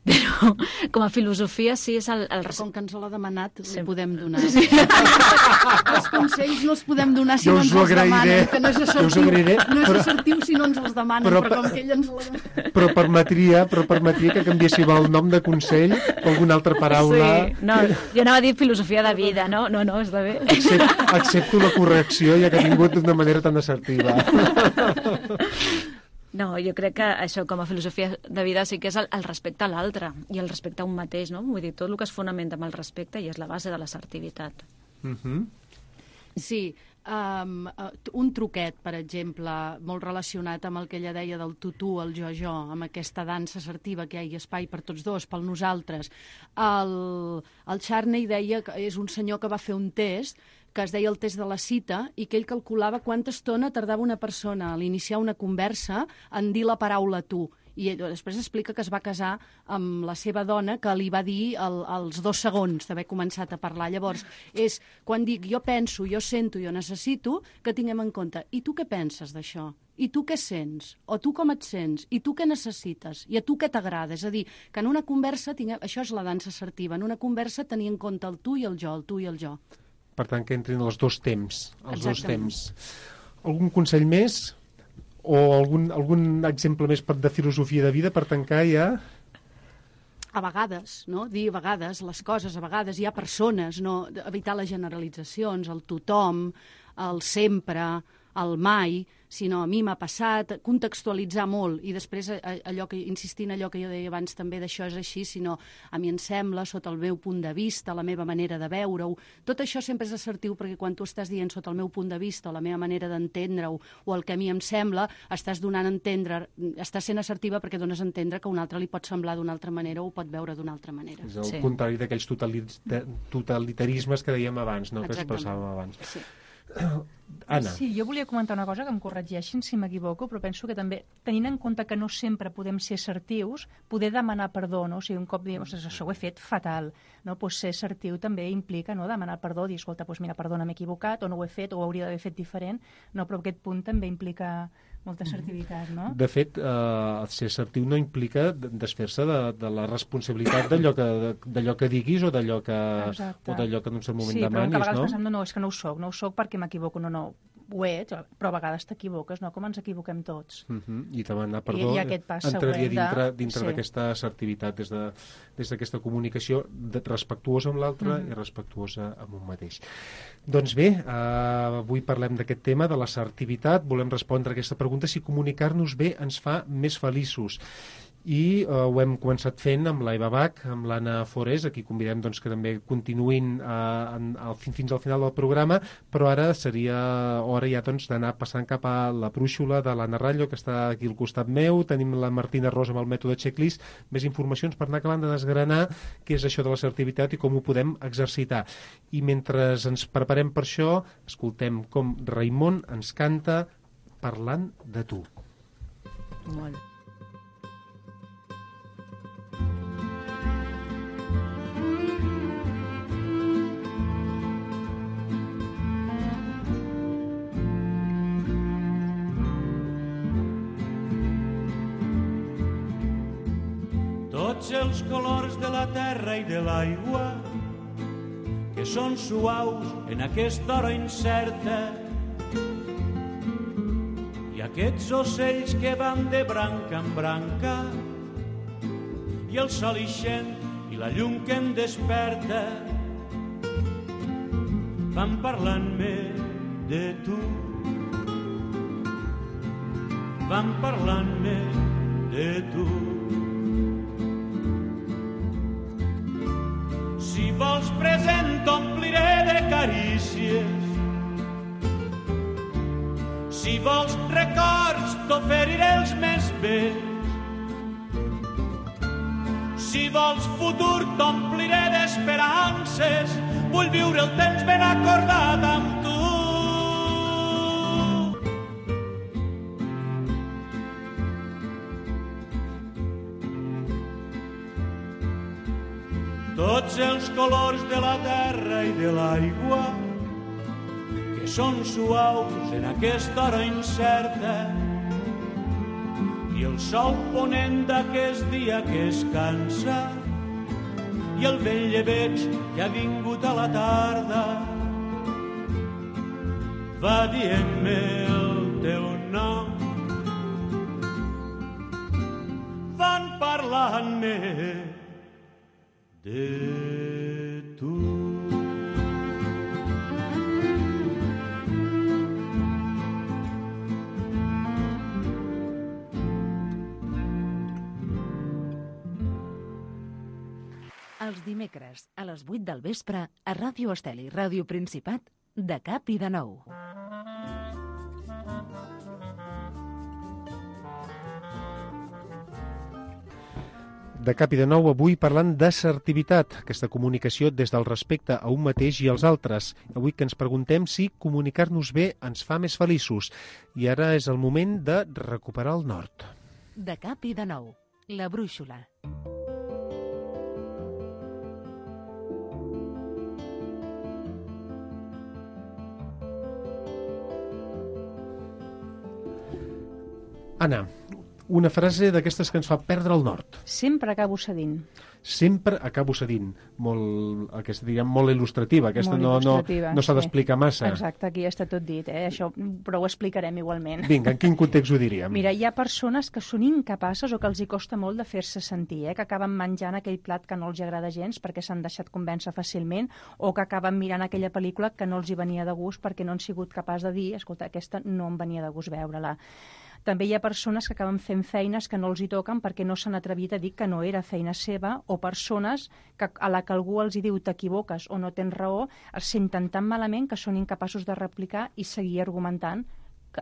Però com a filosofia sí és el... el... Com que ens l'ha demanat, sí. Li podem donar. Sí. Els consells no els podem donar si jo no ens els demanen, que no és assertiu, no és però... assertiu si no ens els demanen, però, però com que ell ens la... Però permetria, però permetria que canviéssim el nom de consell o alguna altra paraula... Sí, no, jo anava a dir filosofia de vida, no? No, no, està bé. Accepto, accepto la correcció, ja que ha vingut d'una manera tan assertiva. No, jo crec que això com a filosofia de vida sí que és el, el respecte a l'altre i el respecte a un mateix, no? Vull dir, tot el que es fonamenta amb el respecte i és la base de l'assertivitat. Uh-huh. Sí, um, un truquet, per exemple, molt relacionat amb el que ella deia del tu-tu, el jo-jo, amb aquesta dansa assertiva que hi ha espai per tots dos, pel nosaltres. El, el Charney deia que és un senyor que va fer un test que es deia el test de la cita, i que ell calculava quanta estona tardava una persona a l'iniciar una conversa en dir la paraula tu. I ell després explica que es va casar amb la seva dona, que li va dir el, els dos segons d'haver començat a parlar. Llavors, és quan dic jo penso, jo sento, jo necessito, que tinguem en compte, i tu què penses d'això? I tu què sents? O tu com et sents? I tu què necessites? I a tu què t'agrada? És a dir, que en una conversa, tinguem... això és la dansa assertiva, en una conversa tenir en compte el tu i el jo, el tu i el jo. Per tant, que entrin els dos temps. Els Exactament. dos temps. Algun consell més? O algun, algun exemple més de filosofia de vida per tancar ja? a vegades, no? Dir a vegades les coses, a vegades hi ha persones, no? Evitar les generalitzacions, el tothom, el sempre, el mai, sinó a mi m'ha passat, contextualitzar molt i després allò que, insistir en allò que jo deia abans també d'això és així, sinó a mi em sembla, sota el meu punt de vista, la meva manera de veure-ho. Tot això sempre és assertiu perquè quan tu estàs dient sota el meu punt de vista o la meva manera d'entendre-ho o el que a mi em sembla, estàs donant a entendre, estàs sent assertiva perquè dones a entendre que a un altre li pot semblar d'una altra manera o ho pot veure d'una altra manera. És el sí. contrari d'aquells totalitarismes que dèiem abans, no? Que expressàvem abans. Sí. Anna. Sí, jo volia comentar una cosa, que em corregeixin si m'equivoco, però penso que també, tenint en compte que no sempre podem ser assertius, poder demanar perdó, no? O sigui, un cop diem, ostres, això ho he fet fatal, no? Pues ser assertiu també implica, no?, demanar perdó, dir, escolta, pues mira, perdona, m'he equivocat, o no ho he fet, o ho hauria d'haver fet diferent, no? Però aquest punt també implica molta assertivitat, no? De fet, eh, ser assertiu no implica desfer-se de, de la responsabilitat d'allò que, d'allò que diguis o d'allò que, o d'allò que en un cert moment sí, demanis, no? Sí, però a vegades no? pensem, no, no, és que no ho soc, no ho soc perquè m'equivoco, no, no, ho he, però a vegades t'equivoques, no? Com ens equivoquem tots. Uh -huh. I demanar perdó I, i aquest pas entraria dintre, de... dintre sí. d'aquesta assertivitat, des de, des d'aquesta comunicació de, respectuosa amb l'altre uh -huh. i respectuosa amb un mateix. Doncs bé, eh, avui parlem d'aquest tema, de l'assertivitat. Volem respondre a aquesta pregunta, si comunicar-nos bé ens fa més feliços. I eh, ho hem començat fent amb l'Eva Bach, amb l'Anna Forés, a qui convidem doncs, que també continuïn eh, en, al, fins al final del programa, però ara seria hora ja doncs, d'anar passant cap a la brúixola de l'Anna Rallo, que està aquí al costat meu. Tenim la Martina Rosa amb el mètode checklist, més informacions per anar acabant de desgranar què és això de l'assertivitat i com ho podem exercitar. I mentre ens preparem per això, escoltem com Raimon ens canta Parlant de tu. Molt. Tots els colors de la terra i de l'aigua que són suaus en aquesta hora incerta i aquests ocells que van de branca en branca i el sol ixent i la llum que em desperta van parlant-me de tu, van parlant-me de tu. Si vols present t'ompliré de carícies, si vols records t'oferiré els més bells, si vols futur t'ompliré d'esperances, vull viure el temps ben acordat amb tu. Tots els colors de la terra i de l'aigua que són suaus en aquesta hora incerta i el sol ponent d'aquest dia que es cansa i el vell llebeig que ha vingut a la tarda va dient-me el teu nom, van parlant-me de tu. Els dimecres a les vuit del vespre a Ràdio Estel i Ràdio Principat, de cap i de nou. De cap i de nou, avui parlant d'assertivitat, aquesta comunicació des del respecte a un mateix i als altres. Avui que ens preguntem si comunicar-nos bé ens fa més feliços. I ara és el moment de recuperar el nord. De cap i de nou, la brúixola. Anna, Una frase d'aquestes que ens fa perdre el nord. Sempre acabo cedint. Sempre acabo cedint. Molt, aquesta, diguem, molt il·lustrativa. Aquesta molt no, il·lustrativa, no, no s'ha sí. d'explicar massa. Exacte, aquí ja està tot dit, eh? Això, però ho explicarem igualment. Vinga, en quin context ho diríem? Mira, hi ha persones que són incapaces o que els hi costa molt de fer-se sentir, eh? Que acaben menjant aquell plat que no els agrada gens perquè s'han deixat convèncer fàcilment, o que acaben mirant aquella pel·lícula que no els hi venia de gust perquè no han sigut capaç de dir, escolta, aquesta no em venia de gust veure-la. També hi ha persones que acaben fent feines que no els hi toquen perquè no s'han atrevit a dir que no era feina seva, o persones que a la que algú els hi diu t'equivoques o no tens raó, es senten tan malament que són incapaços de replicar i seguir argumentant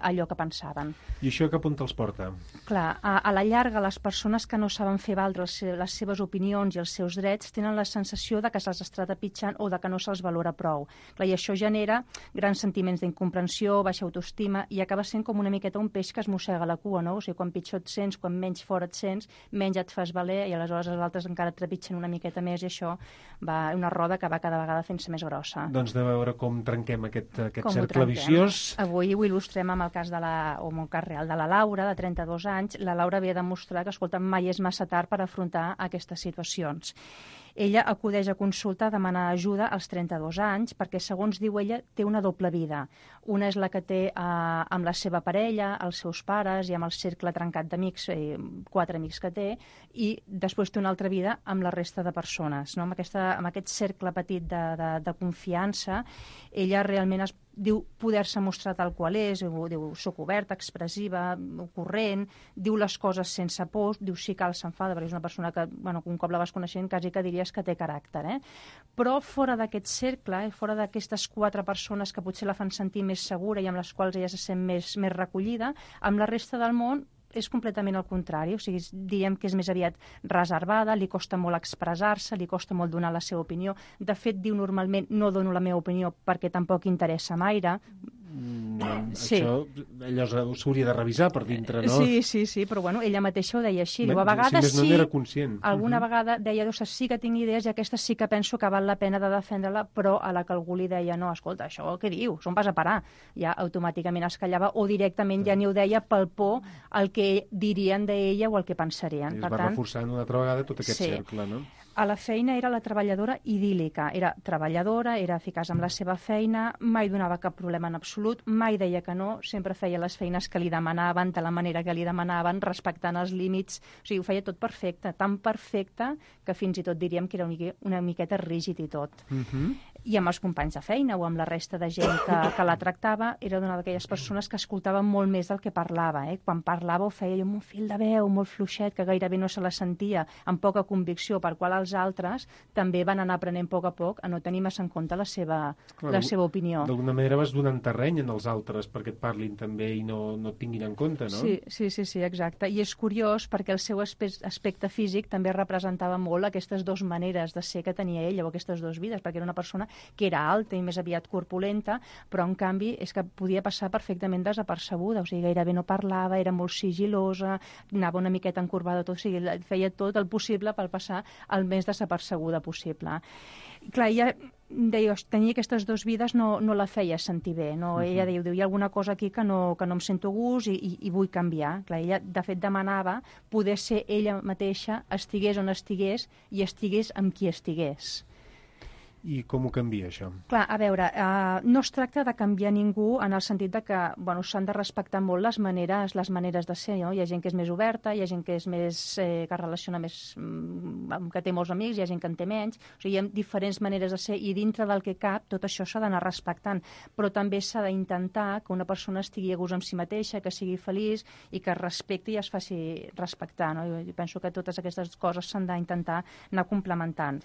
allò que pensaven. I això cap on te'ls porta? Clar, a, a la llarga, les persones que no saben fer valdre les seves opinions i els seus drets tenen la sensació de que se'ls està trepitjant o de que no se'ls valora prou. Clar, i això genera grans sentiments d'incomprensió, baixa autoestima, i acaba sent com una miqueta un peix que es mossega la cua, no? O sigui, quan pitjor et sents, quan menys fora et sents, menys et fas valer, i aleshores els altres encara et trepitgen una miqueta més, i això va una roda que va cada vegada fent-se més grossa. Doncs de veure com trenquem aquest, aquest com cercle viciós. Avui ho il·lustrem amb el cas de la, o amb el cas real de la Laura, de trenta-dos anys. La Laura havia de mostrar que, escolta, mai és massa tard per afrontar aquestes situacions. Ella acudeix a consulta a demanar ajuda als trenta-dos anys perquè, segons diu ella, té una doble vida. Una és la que té eh, amb la seva parella, els seus pares i amb el cercle trencat d'amics, eh, quatre amics que té, i després té una altra vida amb la resta de persones. No? Amb, aquesta, amb aquest cercle petit de, de, de confiança, ella realment es diu poder-se mostrar tal qual és, diu soc oberta, expressiva, corrent, diu les coses sense por, diu sí cal s'enfada, perquè és una persona que, bueno, un cop la vas coneixent, quasi que diries que té caràcter, eh? Però fora d'aquest cercle, eh, fora d'aquestes quatre persones que potser la fan sentir més segura i amb les quals ella se sent més, més recollida, amb la resta del món és completament el contrari, o sigui, diríem que és més aviat reservada, li costa molt expressar-se, li costa molt donar la seva opinió. De fet, diu normalment no dono la meva opinió perquè tampoc interessa gaire. Mm, sí. Això ella s'hauria de revisar per dintre, no? Sí, sí, sí, però bueno, ella mateixa ho deia així. Diu, a vegades si no, sí, no era conscient. Alguna uh -huh. vegada deia, doncs, sí que tinc idees i aquesta sí que penso que val la pena de defendre-la, però a la que algú li deia, no, escolta, això què dius? On vas a parar? Ja automàticament es callava o directament ja ni ho deia pel por al que dirien d'ella o el que pensarien. I es per va tant, reforçant una altra vegada tot aquest sí. cercle, no? A la feina era la treballadora idíl·lica, era treballadora, era eficaç amb la seva feina, mai donava cap problema en absolut, mai deia que no, sempre feia les feines que li demanaven, de la manera que li demanaven, respectant els límits, o sigui, ho feia tot perfecte, tan perfecte que fins i tot diríem que era una miqueta rígid i tot. Uh-huh. I amb els companys de feina o amb la resta de gent que, que la tractava, era una d'aquelles persones que escoltaven molt més del que parlava, eh? Quan parlava ho feia amb un fil de veu molt fluixet, que gairebé no se la sentia, amb poca convicció, per qual els altres també van anar aprenent a poc a poc a no tenir massa en compte la seva, Clar, la seva opinió. D'alguna manera vas donant terreny en els altres perquè et parlin també i no, no et tinguin en compte, no? Sí, sí, sí, sí, exacte. I és curiós perquè el seu aspecte físic també representava molt aquestes dues maneres de ser que tenia ella, o aquestes dues vides, perquè era una persona que era alta i més aviat corpulenta, però en canvi és que podia passar perfectament desapercebuda, o sigui, gairebé no parlava, era molt sigilosa, anava una miqueta encorbada tot, o sigui, feia tot el possible per passar el més desapercebuda possible. Clar, ella deia, tenir aquestes dues vides no, no la feia sentir bé, no? Uh -huh. Ella diu, hi ha alguna cosa aquí que no, que no em sento gust i, i, i vull canviar. Clar, ella, de fet, demanava poder ser ella mateixa, estigués on estigués i estigués amb qui estigués. I com ho canvia, això? Clar, a veure, eh, no es tracta de canviar ningú en el sentit de que, bueno, s'han de respectar molt les maneres, les maneres de ser, no? Hi ha gent que és més oberta, hi ha gent que és més, eh, que relaciona més, mm, que té molts amics, hi ha gent que en té menys, o sigui, hi ha diferents maneres de ser i dintre del que cap tot això s'ha d'anar respectant, però també s'ha d'intentar que una persona estigui a gust amb si mateixa, que sigui feliç i que es respecti i es faci respectar, no? Jo penso que totes aquestes coses s'han d'intentar anar complementant.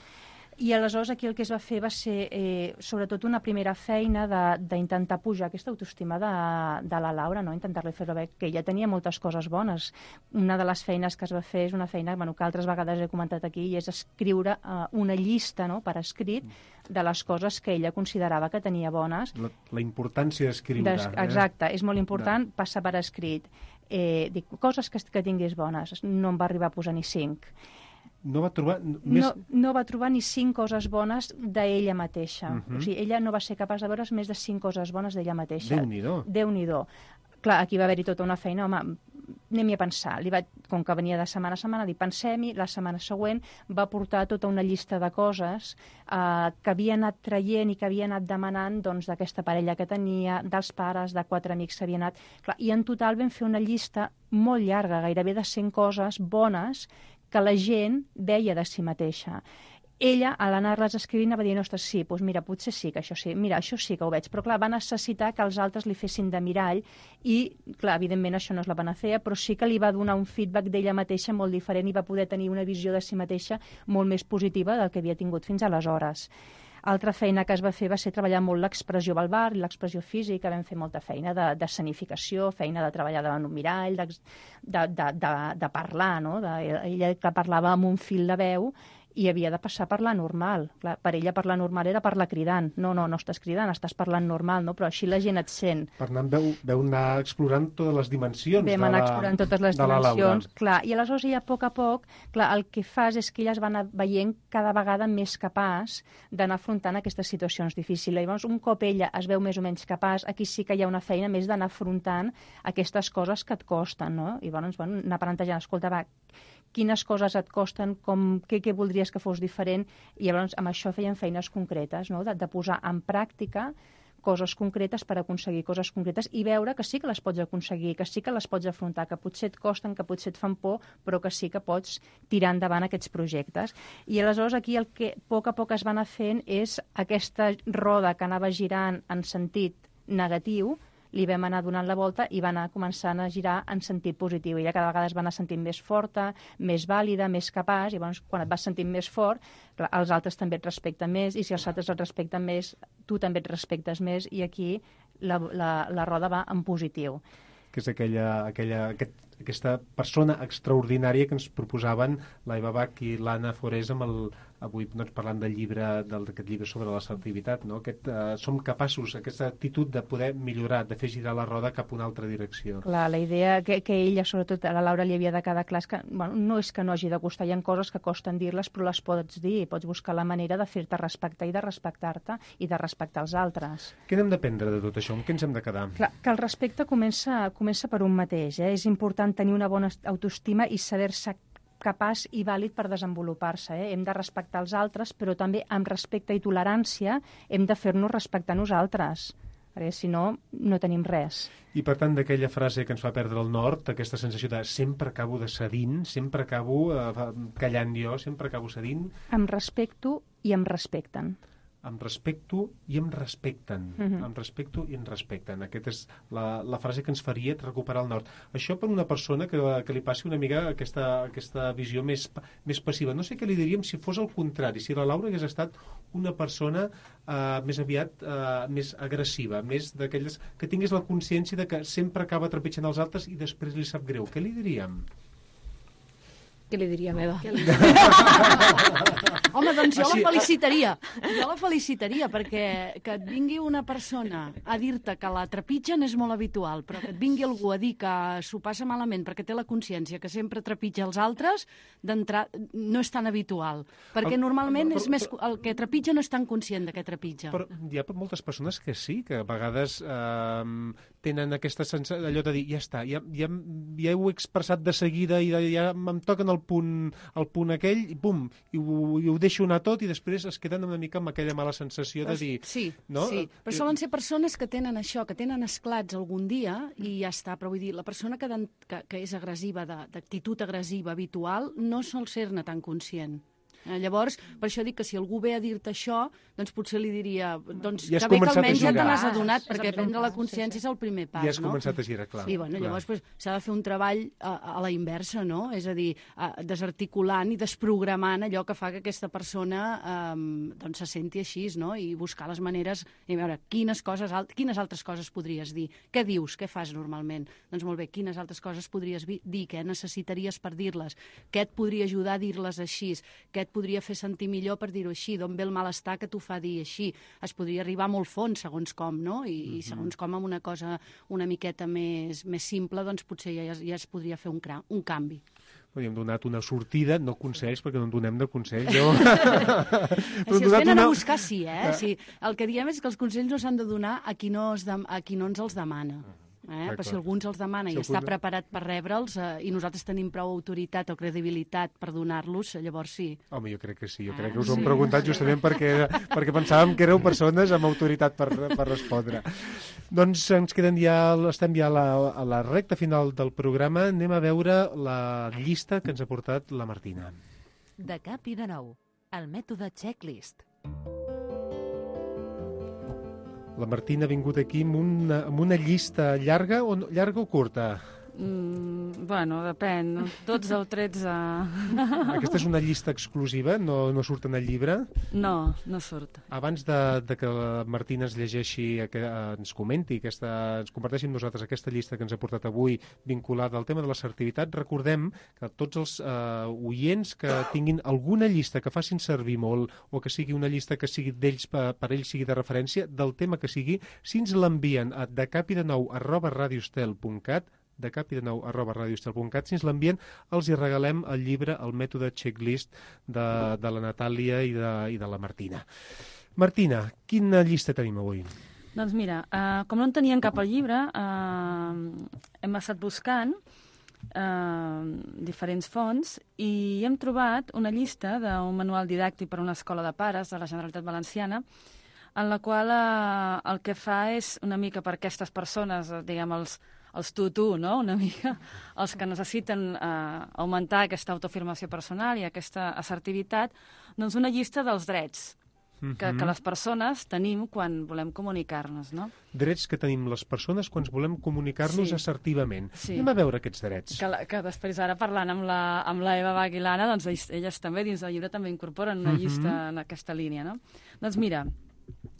I aleshores aquí el que es va fer va ser eh, sobretot una primera feina d'intentar pujar aquesta autoestima de, de la Laura, no? Intentar-li fer veure que ella tenia moltes coses bones. Una de les feines que es va fer és una feina, bueno, que altres vegades he comentat aquí, i és escriure eh, una llista, no?, per escrit de les coses que ella considerava que tenia bones. La, la importància d'escriure. Des, exacte, eh? És molt important de... passar per escrit. Eh, dic, coses que, que tinguis bones, no em va arribar a posar ni cinc. No va trobar... Més... No, no va trobar ni cinc coses bones d'ella mateixa. Uh-huh. O sigui, ella no va ser capaç de veure més de cinc coses bones d'ella mateixa. Déu-n'hi-do. Déu-n'hi-do. Clar, aquí va haver-hi tota una feina, home, anem-hi a pensar. Li vaig, com que venia de setmana a setmana, dir, pensem-hi, la setmana següent va portar tota una llista de coses eh, que havia anat traient i que havia anat demanant doncs, d'aquesta parella que tenia, dels pares, de quatre amics que havia anat... Clar, i en total vam fer una llista molt llarga, gairebé de cent coses bones que la gent veia de si mateixa. Ella, a l'anar-les escrivint, va dir, ostres, sí, doncs mira, potser sí que això sí, mira, això sí que ho veig, però clar, va necessitar que els altres li fessin de mirall i, clar, evidentment això no és la panacea, però sí que li va donar un feedback d'ella mateixa molt diferent i va poder tenir una visió de si mateixa molt més positiva del que havia tingut fins aleshores. Altra feina que es va fer va ser treballar molt l'expressió verbal i l'expressió física, vam fer molta feina de, de escenificació, feina de treballar davant un mirall, de, de, de, de, de parlar, no? De, ella que parlava amb un fil de veu i havia de passar a parlar normal. Clar, per ella parlar normal era parlar cridant. No, no, no estàs cridant, estàs parlant normal, no? Però així la gent et sent. Per tant, veu, veu anar explorant totes les dimensions Vam anar explorant totes les de la dimensions. Laura. Clar, i aleshores ella, a poc a poc, clar, el que fas és que ella es va anar veient cada vegada més capaç d'anar afrontant aquestes situacions difícils. Llavors, un cop ella es veu més o menys capaç, aquí sí que hi ha una feina més d'anar afrontant aquestes coses que et costen, no? I llavors, bueno, anar plantejant, escolta, va, quines coses et costen, com, què, què voldries que fos diferent, i llavors amb això feien feines concretes, no? de, de posar en pràctica coses concretes per aconseguir coses concretes i veure que sí que les pots aconseguir, que sí que les pots afrontar, que potser et costen, que potser et fan por, però que sí que pots tirar endavant aquests projectes. I aleshores aquí el que a poc a poc es va anar fent és aquesta roda que anava girant en sentit negatiu, li vam anar donant la volta i va anar començant a girar en sentit positiu. Ella cada vegada es va anar sentint més forta, més vàlida, més capaç, i llavors quan et vas sentint més fort, els altres també et respecten més, i si els altres et respecten més, tu també et respectes més, i aquí la, la, la roda va en positiu. Que és aquella, aquella, aquest, aquesta persona extraordinària que ens proposaven la Eva Bach i l'Anna Forés amb el, avui doncs, parlant del llibre, d'aquest llibre sobre l'assertivitat, no? Aquest, eh, som capaços, aquesta actitud de poder millorar, de fer girar la roda cap a una altra direcció. Clar, la idea que, que ella, sobretot a la Laura, li havia de quedar clar és que bueno, no és que no hagi de costar, hi ha coses que costen dir-les, però les pots dir, pots buscar la manera de fer-te respectar i de respectar-te i de respectar els altres. Què n'hem d'aprendre de tot això? Amb què ens hem de quedar? Clar, que el respecte comença, comença per un mateix, eh? És important tenir una bona autoestima i saber-se capaç i vàlid per desenvolupar-se. Eh? Hem de respectar els altres, però també amb respecte i tolerància hem de fer-nos respectar nosaltres, perquè si no, no tenim res. I per tant, d'aquella frase que ens fa perdre el nord, aquesta sensació de sempre acabo de cedint, sempre acabo eh, callant jo, sempre acabo cedint... Em respecto i em respecten. Em respecto i em respecten. Uh-huh. Em respecto i em respecten. Aquesta és la, la frase que ens faria recuperar el nord. Això per una persona que, que li passi una mica aquesta, aquesta visió més, més passiva. No sé què li diríem si fos el contrari, si la Laura hagués estat una persona eh, més aviat eh, més agressiva, més d'aquelles que tingués la consciència de que sempre acaba trepitjant els altres i després li sap greu. Què li diríem? Què li diria, meva? Home, doncs jo la felicitaria. Jo la felicitaria, perquè que et vingui una persona a dir-te que la trepitgen és molt habitual, però que et vingui algú a dir que s'ho passa malament perquè té la consciència que sempre trepitja els altres, d'entrar no és tan habitual. Perquè normalment és més, el que trepitja no és tan conscient de què trepitja. Però hi ha moltes persones que sí, que a vegades eh, tenen aquesta sensació d'allò de dir, ja està, ja, ja, ja ho he expressat de seguida i ja em toquen el punt, el punt aquell i pum, i ho, i ho deixo anar tot i després es queden una mica amb aquella mala sensació de dir... Sí, no? sí, però solen ser persones que tenen això, que tenen esclats algun dia i ja està, però vull dir, la persona que, que, que és agressiva, d'actitud agressiva habitual, no sol ser-ne tan conscient. Llavors, per això dic que si algú ve a dir-te això, doncs potser li diria doncs, ja que bé que almenys ja te n'has adonat, perquè prendre la consciència sí, sí. és el primer pas. Ja has no? començat a girar, clar. Sí, bueno, llavors s'ha pues, de fer un treball a, a la inversa, no? És a dir, a, desarticulant i desprogramant allò que fa que aquesta persona um, doncs se senti així, no? I buscar les maneres, i veure quines, coses, quines altres coses podries dir. Què dius? Què fas normalment? Doncs molt bé, quines altres coses podries dir? Què necessitaries per dir-les? Què et podria ajudar a dir-les així? Què et podria fer sentir millor per dir-ho així, d'on ve el malestar que t'ho fa dir així. Es podria arribar molt fons, segons com, no? I, mm-hmm. i segons com amb una cosa una miqueta més, més simple, doncs potser ja, ja es podria fer un, cra un canvi. Hem donat una sortida, no consells, perquè no en donem de consells. Jo... si els venen una... a buscar, sí, eh? Sí, el que diem és que els consells no s'han de donar a qui no, es de... a qui no ens els demana. Eh? Per si algú ens els demana Si i algú- està preparat per rebre'ls eh, i nosaltres tenim prou autoritat o credibilitat per donar-los, llavors sí. Home, jo crec que sí, jo Ah, crec que us ho hem sí. preguntat justament perquè, perquè pensàvem que éreu persones amb autoritat per, per respondre. Doncs ens queden ja, estem ja a la, a la recta final del programa. Anem a veure la llista que ens ha portat la Martina. De cap i de nou, el mètode checklist. La Martina ha vingut aquí amb una, amb una llista llarga o, no- llarga o curta? Mm, bueno, depèn. dotze o tretze... Aquesta és una llista exclusiva, no, no surt en el llibre. No, no surt. Abans de, de que la Martina ens llegeixi, que ens comenti, aquesta, ens comparteixi amb nosaltres aquesta llista que ens ha portat avui vinculada al tema de l'assertivitat, recordem que tots els eh, oients que tinguin alguna llista que facin servir molt o que sigui una llista que sigui d'ells per, per ells sigui de referència, del tema que sigui, si ens l'envien a decapidenou arroba radiostel punt cat, de cap i de nou arroba radiostel punt cat, si ens l'envien els hi regalem el llibre El mètode checklist de, de la Natàlia i de, i de la Martina. Martina, quina llista tenim avui? Doncs mira, uh, com no en teníem cap al llibre, uh, hem estat buscant uh, diferents fonts i hem trobat una llista d'un manual didàctic per a una escola de pares de la Generalitat Valenciana en la qual uh, el que fa és una mica per aquestes persones, uh, diguem, els els tu-tu, no?, una mica, els que necessiten eh, augmentar aquesta autoafirmació personal i aquesta assertivitat, doncs una llista dels drets que, que les persones tenim quan volem comunicar-nos, no? Drets que tenim les persones quan volem comunicar-nos Sí. assertivament. Sí. Anem a veure aquests drets. Que, la, que després ara parlant amb la, amb la Eva Bach i l'Anna, doncs ells, elles també dins del llibre també incorporen una Mhm. llista en aquesta línia, no? Doncs mira,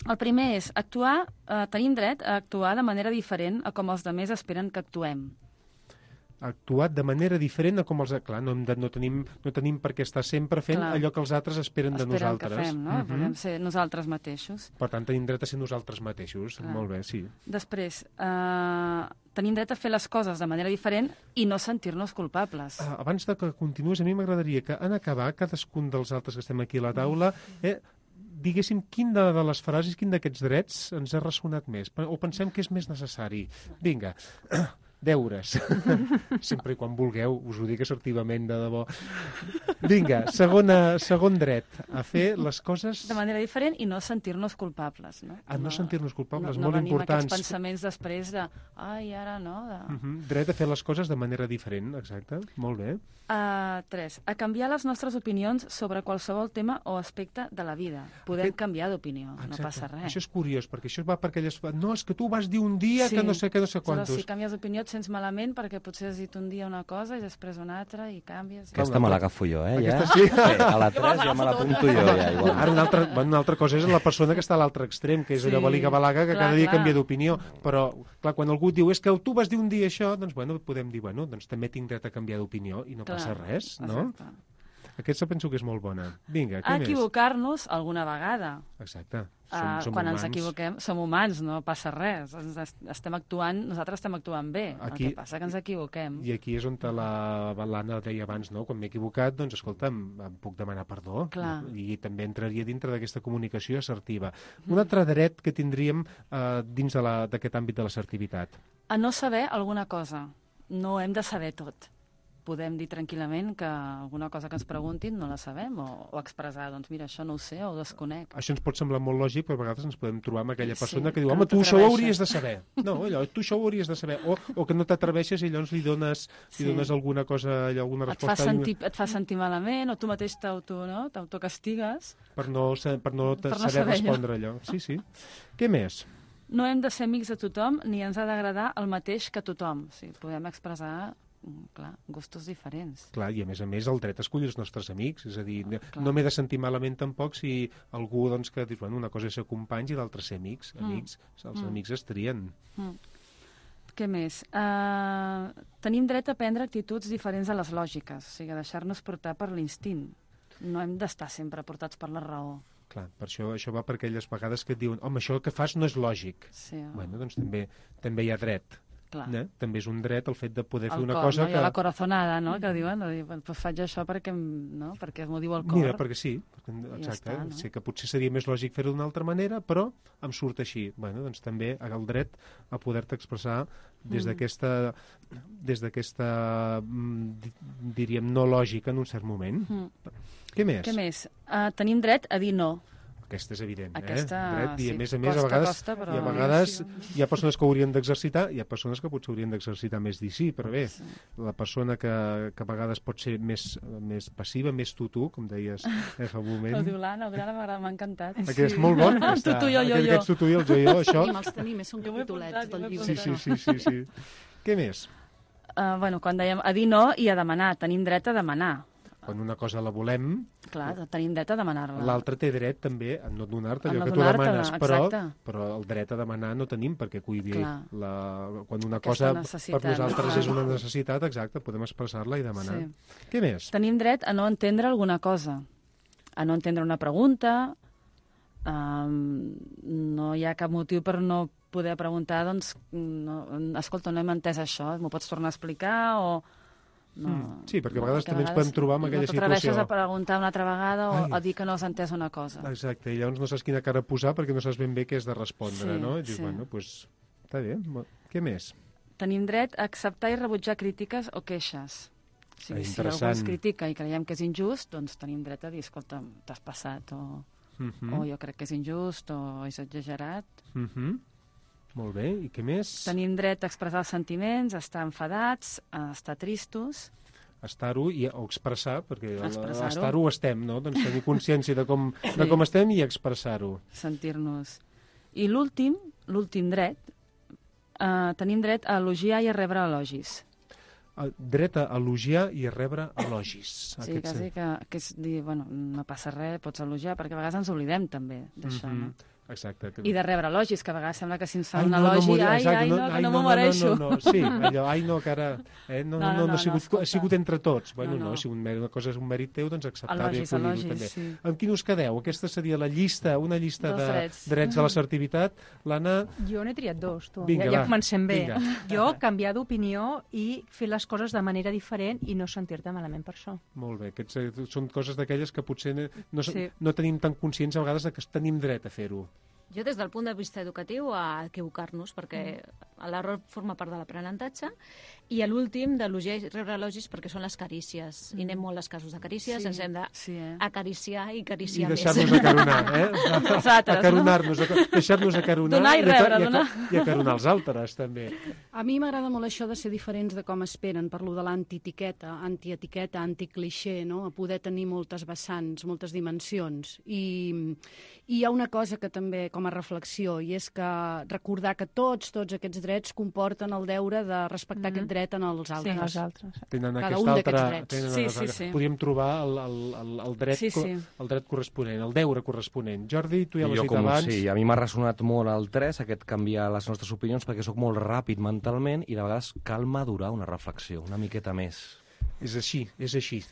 el primer és actuar, eh, tenim dret a actuar de manera diferent a com els altres esperen que actuem. Actuat de manera diferent a com els... Clar, no, hem de, no, tenim, no tenim per què estar sempre fent Clar. allò que els altres esperen, de Esperen nosaltres. que fem, no? Mhm. Podem ser nosaltres mateixos. Per tant, tenim dret a ser nosaltres mateixos. Clar. Molt bé, sí. Després, eh, tenim dret a fer les coses de manera diferent i no sentir-nos culpables. Ah, abans de que continues, a mi m'agradaria que en acabar, cadascun dels altres que estem aquí a la taula, eh, diguéssim quin de, de les frases, quin d'aquests drets ens ha ressonat més, o pensem que és més necessari. Vinga, deures. Sempre i quan vulgueu, us ho dic assertivament, de debò. Vinga, segona, segon dret, a fer les coses... De manera diferent i no sentir-nos culpables, no? A no, sentir-nos culpables, no, molt no venim importants. aquests pensaments després de... Ai, ara no, de... Uh -huh. Dret a fer les coses de manera diferent, exacte. Molt bé. Uh, tres, a canviar les nostres opinions sobre qualsevol tema o aspecte de la vida. Podem Aquest- canviar d'opinió, no Exacte. passa res. Això és curiós, perquè això va per aquelles... No, és que tu vas dir un dia que no sé què, no sé quantos. Aleshores, si canvies d'opinió et sents malament perquè potser has dit un dia una cosa i després una altra i canvies. Aquesta me l'agafo jo, eh, ja. Aquesta sí. Sí, a la tres ja me l'apunto jo, ja, igual. Ara una altra, bueno, una altra cosa és la persona que està a l'altre extrem, que és Sí, allò baliga-balaga, que clar, cada dia clar. canvia d'opinió. Però, clar, quan algú diu és que tu vas dir un dia això, doncs, bueno, podem dir, bueno, doncs també tinc dret a canviar d'opinió i no Clar, passa res, no? exacte. Aquesta penso que és molt bona. Vinga, què A més? equivocar-nos alguna vegada. Exacte. Som, Uh, som quan humans. ens equivoquem, som humans, no passa res. Ens est- estem actuant, nosaltres estem actuant bé. Aquí- El que passa que ens equivoquem. I aquí és on la l'Anna deia abans, no? Quan m'he equivocat, doncs, escolta'm, em puc demanar perdó. Clar. I també entraria dintre d'aquesta comunicació assertiva. Un altre dret que tindríem eh, dins de la- d'aquest àmbit de l'assertivitat. A no saber alguna cosa. No hem de saber tot. Podem dir tranquil·lament que alguna cosa que ens preguntin no la sabem o, o expressar, doncs mira, això no ho sé o ho desconec. Això ens pot semblar molt lògic, però a vegades ens podem trobar amb aquella Sí, persona que diu, que home, no tu això ho t'atreveixes." hauries de saber. No, allò, tu això ho hauries de saber. O, o que no t'atreveixes i llavors li dones, Sí. li dones alguna cosa, allò, alguna Et fa, resposta sentir, et fa sentir malament o tu mateix t'auto, no? t'autocastigues. per no, sa- per no, Per no saber saber allò. respondre allò. Sí, sí. Què més? No hem de ser amics de tothom ni ens ha d'agradar el mateix que tothom. O sigui, podem expressar, mm, clar, gustos diferents. Clar, i a més a més el dret a escollir els nostres amics, és a dir, no, clar. no m'he de sentir malament tampoc si algú, doncs, que dius, bueno, una cosa és ser companys i l'altra ser amics. Mm. Amics, els Mm. amics es trien. Mm. Què més? Uh, tenim dret a prendre actituds diferents a les lògiques, o sigui, a deixar-nos portar per l'instint. No hem d'estar sempre portats per la raó. Clar, per això, això va per aquelles vegades que et diuen home, això que fas no és lògic. Sí. Bueno, doncs també, també hi ha dret Eh? També és un dret el fet de poder fer el una cor, cosa no? que... I la corazonada, no? Que diuen, de dir, pues faig això perquè, no? perquè m'ho diu el cor. Mira, perquè sí, exacte. Ja està, no? Sé que potser seria més lògic fer-ho d'una altra manera, però em surt així. Bueno, doncs també el dret a poder-te expressar des Mm. d'aquesta, des d'aquesta, diríem, no lògica en un cert moment. Mm. Què més? Què més? Uh, tenim dret a dir no. Aquesta és evident, Aquesta, eh? Dret, i a sí, més a més, costa, a vegades, costa, però... i a vegades hi ha persones que ho haurien d'exercitar, hi ha persones que potser haurien d'exercitar més dir sí, però bé, sí. La persona que, que a vegades pot ser més, més passiva, més tu-tu, com deies eh, fa un moment. Ho diu l'Anna, m'ha encantat. Aquest és molt bon. Tu, tu, jo, jo, jo. Aquests tu-tu i el jo-jo, això... Tenim, els tenim, són capitolets del llibre. Sí, sí, sí, sí, sí. Què més? Uh, bueno, quan dèiem a dir no i a demanar, tenim dret a demanar. Quan una cosa la volem... Clar, tenim dret a demanar-la. L'altre té dret també a no donar-te allò no que tu demanes, però, exacte. però el dret a demanar no tenim perquè cuidi la, quan una Aquesta cosa per nosaltres clar. És una necessitat, exacte, podem expressar-la i demanar. Sí. Què més? Tenim dret a no entendre alguna cosa, a no entendre una pregunta, um, no hi ha cap motiu per no poder preguntar, doncs, no, escolta, no hem entès això, m'ho pots tornar a explicar o... No, sí, perquè a vegades no, també ens podem trobar en aquella situació. No t'atreveixes a preguntar una altra vegada o Ai. a dir que no has entès una cosa. Exacte, i llavors no saps quina cara posar perquè no saps ben bé què has de respondre, sí, no? I dius, sí. bueno, doncs, pues, està bé. Què més? Tenim dret a acceptar i rebutjar crítiques o queixes. O sigui, si algú ens critica i creiem que és injust, doncs tenim dret a dir, escolta, t'has passat, o, uh -huh. o jo crec que és injust, o és exagerat. Uh -huh. Molt bé, i què més? Tenim dret a expressar els sentiments, a estar enfadats, a estar tristos. Estar-ho i o expressar, perquè estar-ho ho estem, no? Doncs tenir consciència de com, sí. de com estem i expressar-ho. Sentir-nos. I l'últim, l'últim dret, eh, tenim dret a elogiar i a rebre elogis. El dret a elogiar i a rebre elogis. Sí, quasi que, que és dir, bueno, no passa res, pots elogiar, perquè a vegades ens oblidem també d'això, mm -hmm. no? Exacte. I de rebre elogis, que a vegades sembla que si ens fa un elogi, no, ai, ai, no, que ai, no, no m'ho mereixo. No, no, no, sí, allò, ai, no, que ara... Eh, no, no, no, no, no, ha, sigut, no ha sigut entre tots. Bueno, no, no. no si un, una cosa és un mèrit teu, doncs acceptar elogis, i elogis, també. Sí. Amb quin us quedeu? Aquesta seria la llista, una llista de drets, drets de l'assertivitat. L'Anna... Jo n'he triat dos, tu. Vinga, ja, ja comencem bé. Vinga. Jo, canviar d'opinió i fer les coses de manera diferent i no sentir-te malament per això. Molt bé. Aquests són coses d'aquelles que potser no, sí. no tenim tan conscients a vegades que tenim dret a fer-ho. Jo, des del punt de vista educatiu, a equivocar-nos, perquè l'error forma part de l'aprenentatge, i a l'últim, d'elogiar i rebre elogis, perquè són les carícies. I anem molt als casos de carícies, sí, ens hem d'acariciar sí, eh? i acariciar més. I deixar-nos acaronar, eh? Nosaltres, acaronar-nos, no? Deixar-nos acaronar donar i rebre, i, donar. I acaronar els altres, també. A mi m'agrada molt això de ser diferents de com esperen, parlo de l'antietiqueta, antietiqueta, anticlixé, no? A poder tenir moltes vessants, moltes dimensions. I, i hi ha una cosa que també, com a reflexió, i és que recordar que tots, tots aquests drets comporten el deure de respectar mm -hmm. aquest dret en els altres. Sí, els altres. Tenen Cada aquest un altre, drets. tenen Sí, sí, sí, sí. Podríem trobar el, el, el, el, dret, sí, sí. el dret corresponent, el deure corresponent. Jordi, tu ja l'has dit com, abans. Sí, a mi m'ha ressonat molt el tres, aquest canviar les nostres opinions, perquè sóc molt ràpid mentalment i de vegades cal madurar una reflexió, una miqueta més. És així, és així.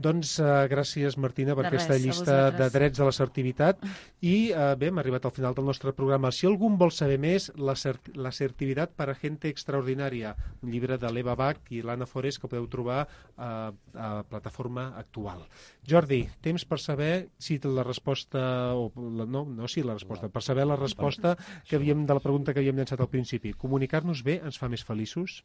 Doncs uh, gràcies, Martina, per de aquesta res, llista de drets de l'assertivitat. I uh, bé, hem arribat al final del nostre programa. Si algú vol saber més, l'assertivitat per a gente extraordinària, un llibre de l'Eva Bach i l'Anna Forés que podeu trobar uh, a plataforma actual. Jordi, temps per saber si la resposta... O, la, no, no, sí, la resposta. Per saber la resposta que havíem, de la pregunta que havíem llançat al principi. Comunicar-nos bé ens fa més feliços?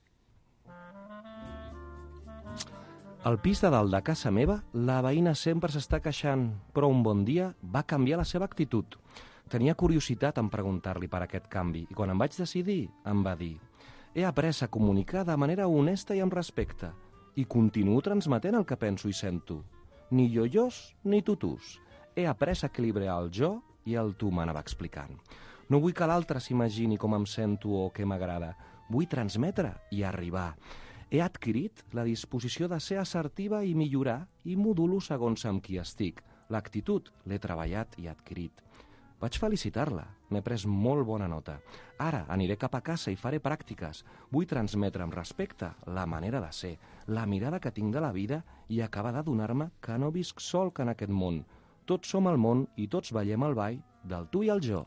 Al pis de dalt de casa meva, la veïna sempre s'està queixant, però un bon dia va canviar la seva actitud. Tenia curiositat en preguntar-li per aquest canvi, i quan em vaig decidir, em va dir: he après a comunicar de manera honesta i amb respecte, i continuo transmetent el que penso i sento. Ni jo-jos ni tutus. He après a equilibrar el jo i el tu, m'anava explicant. No vull que l'altre s'imagini com em sento o què m'agrada. Vull transmetre i arribar. He adquirit la disposició de ser assertiva i millorar i modulo segons amb qui estic. L'actitud l'he treballat i adquirit. Vaig felicitar-la, n'he pres molt bona nota. Ara aniré cap a casa i faré pràctiques. Vull transmetre amb respecte la manera de ser, la mirada que tinc de la vida i acabar d'adonar-me que no visc sol que en aquest món. Tots som al món i tots ballem el ball del tu i el jo.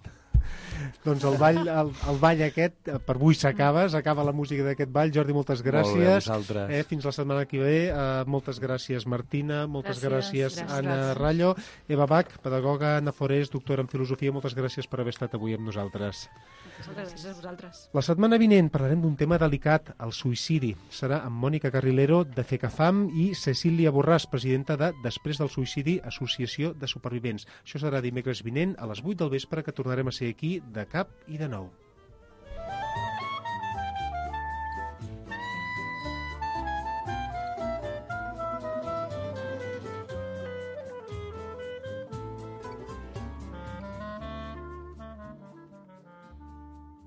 Doncs el ball, el, el ball aquest, per avui s'acaba, s'acaba la música d'aquest ball. Jordi, moltes gràcies. Molt bé, eh, fins la setmana que ve. Uh, moltes gràcies, Martina. Moltes gràcies, gràcies, gràcies Anna gràcies. Rallo. Eva Bach, pedagoga, Anna Forés, doctora en filosofia. Moltes gràcies per haver estat avui amb nosaltres. Moltes gràcies a vosaltres. La setmana vinent parlarem d'un tema delicat, el suïcidi. Serà amb Mònica Carrilero, de FECAFAM, i Cecília Borràs, presidenta de Després del Suïcidi, Associació de Supervivents. Això serà dimecres vinent a les vuit del vespre, que tornarem a ser aquí de cap i de nou.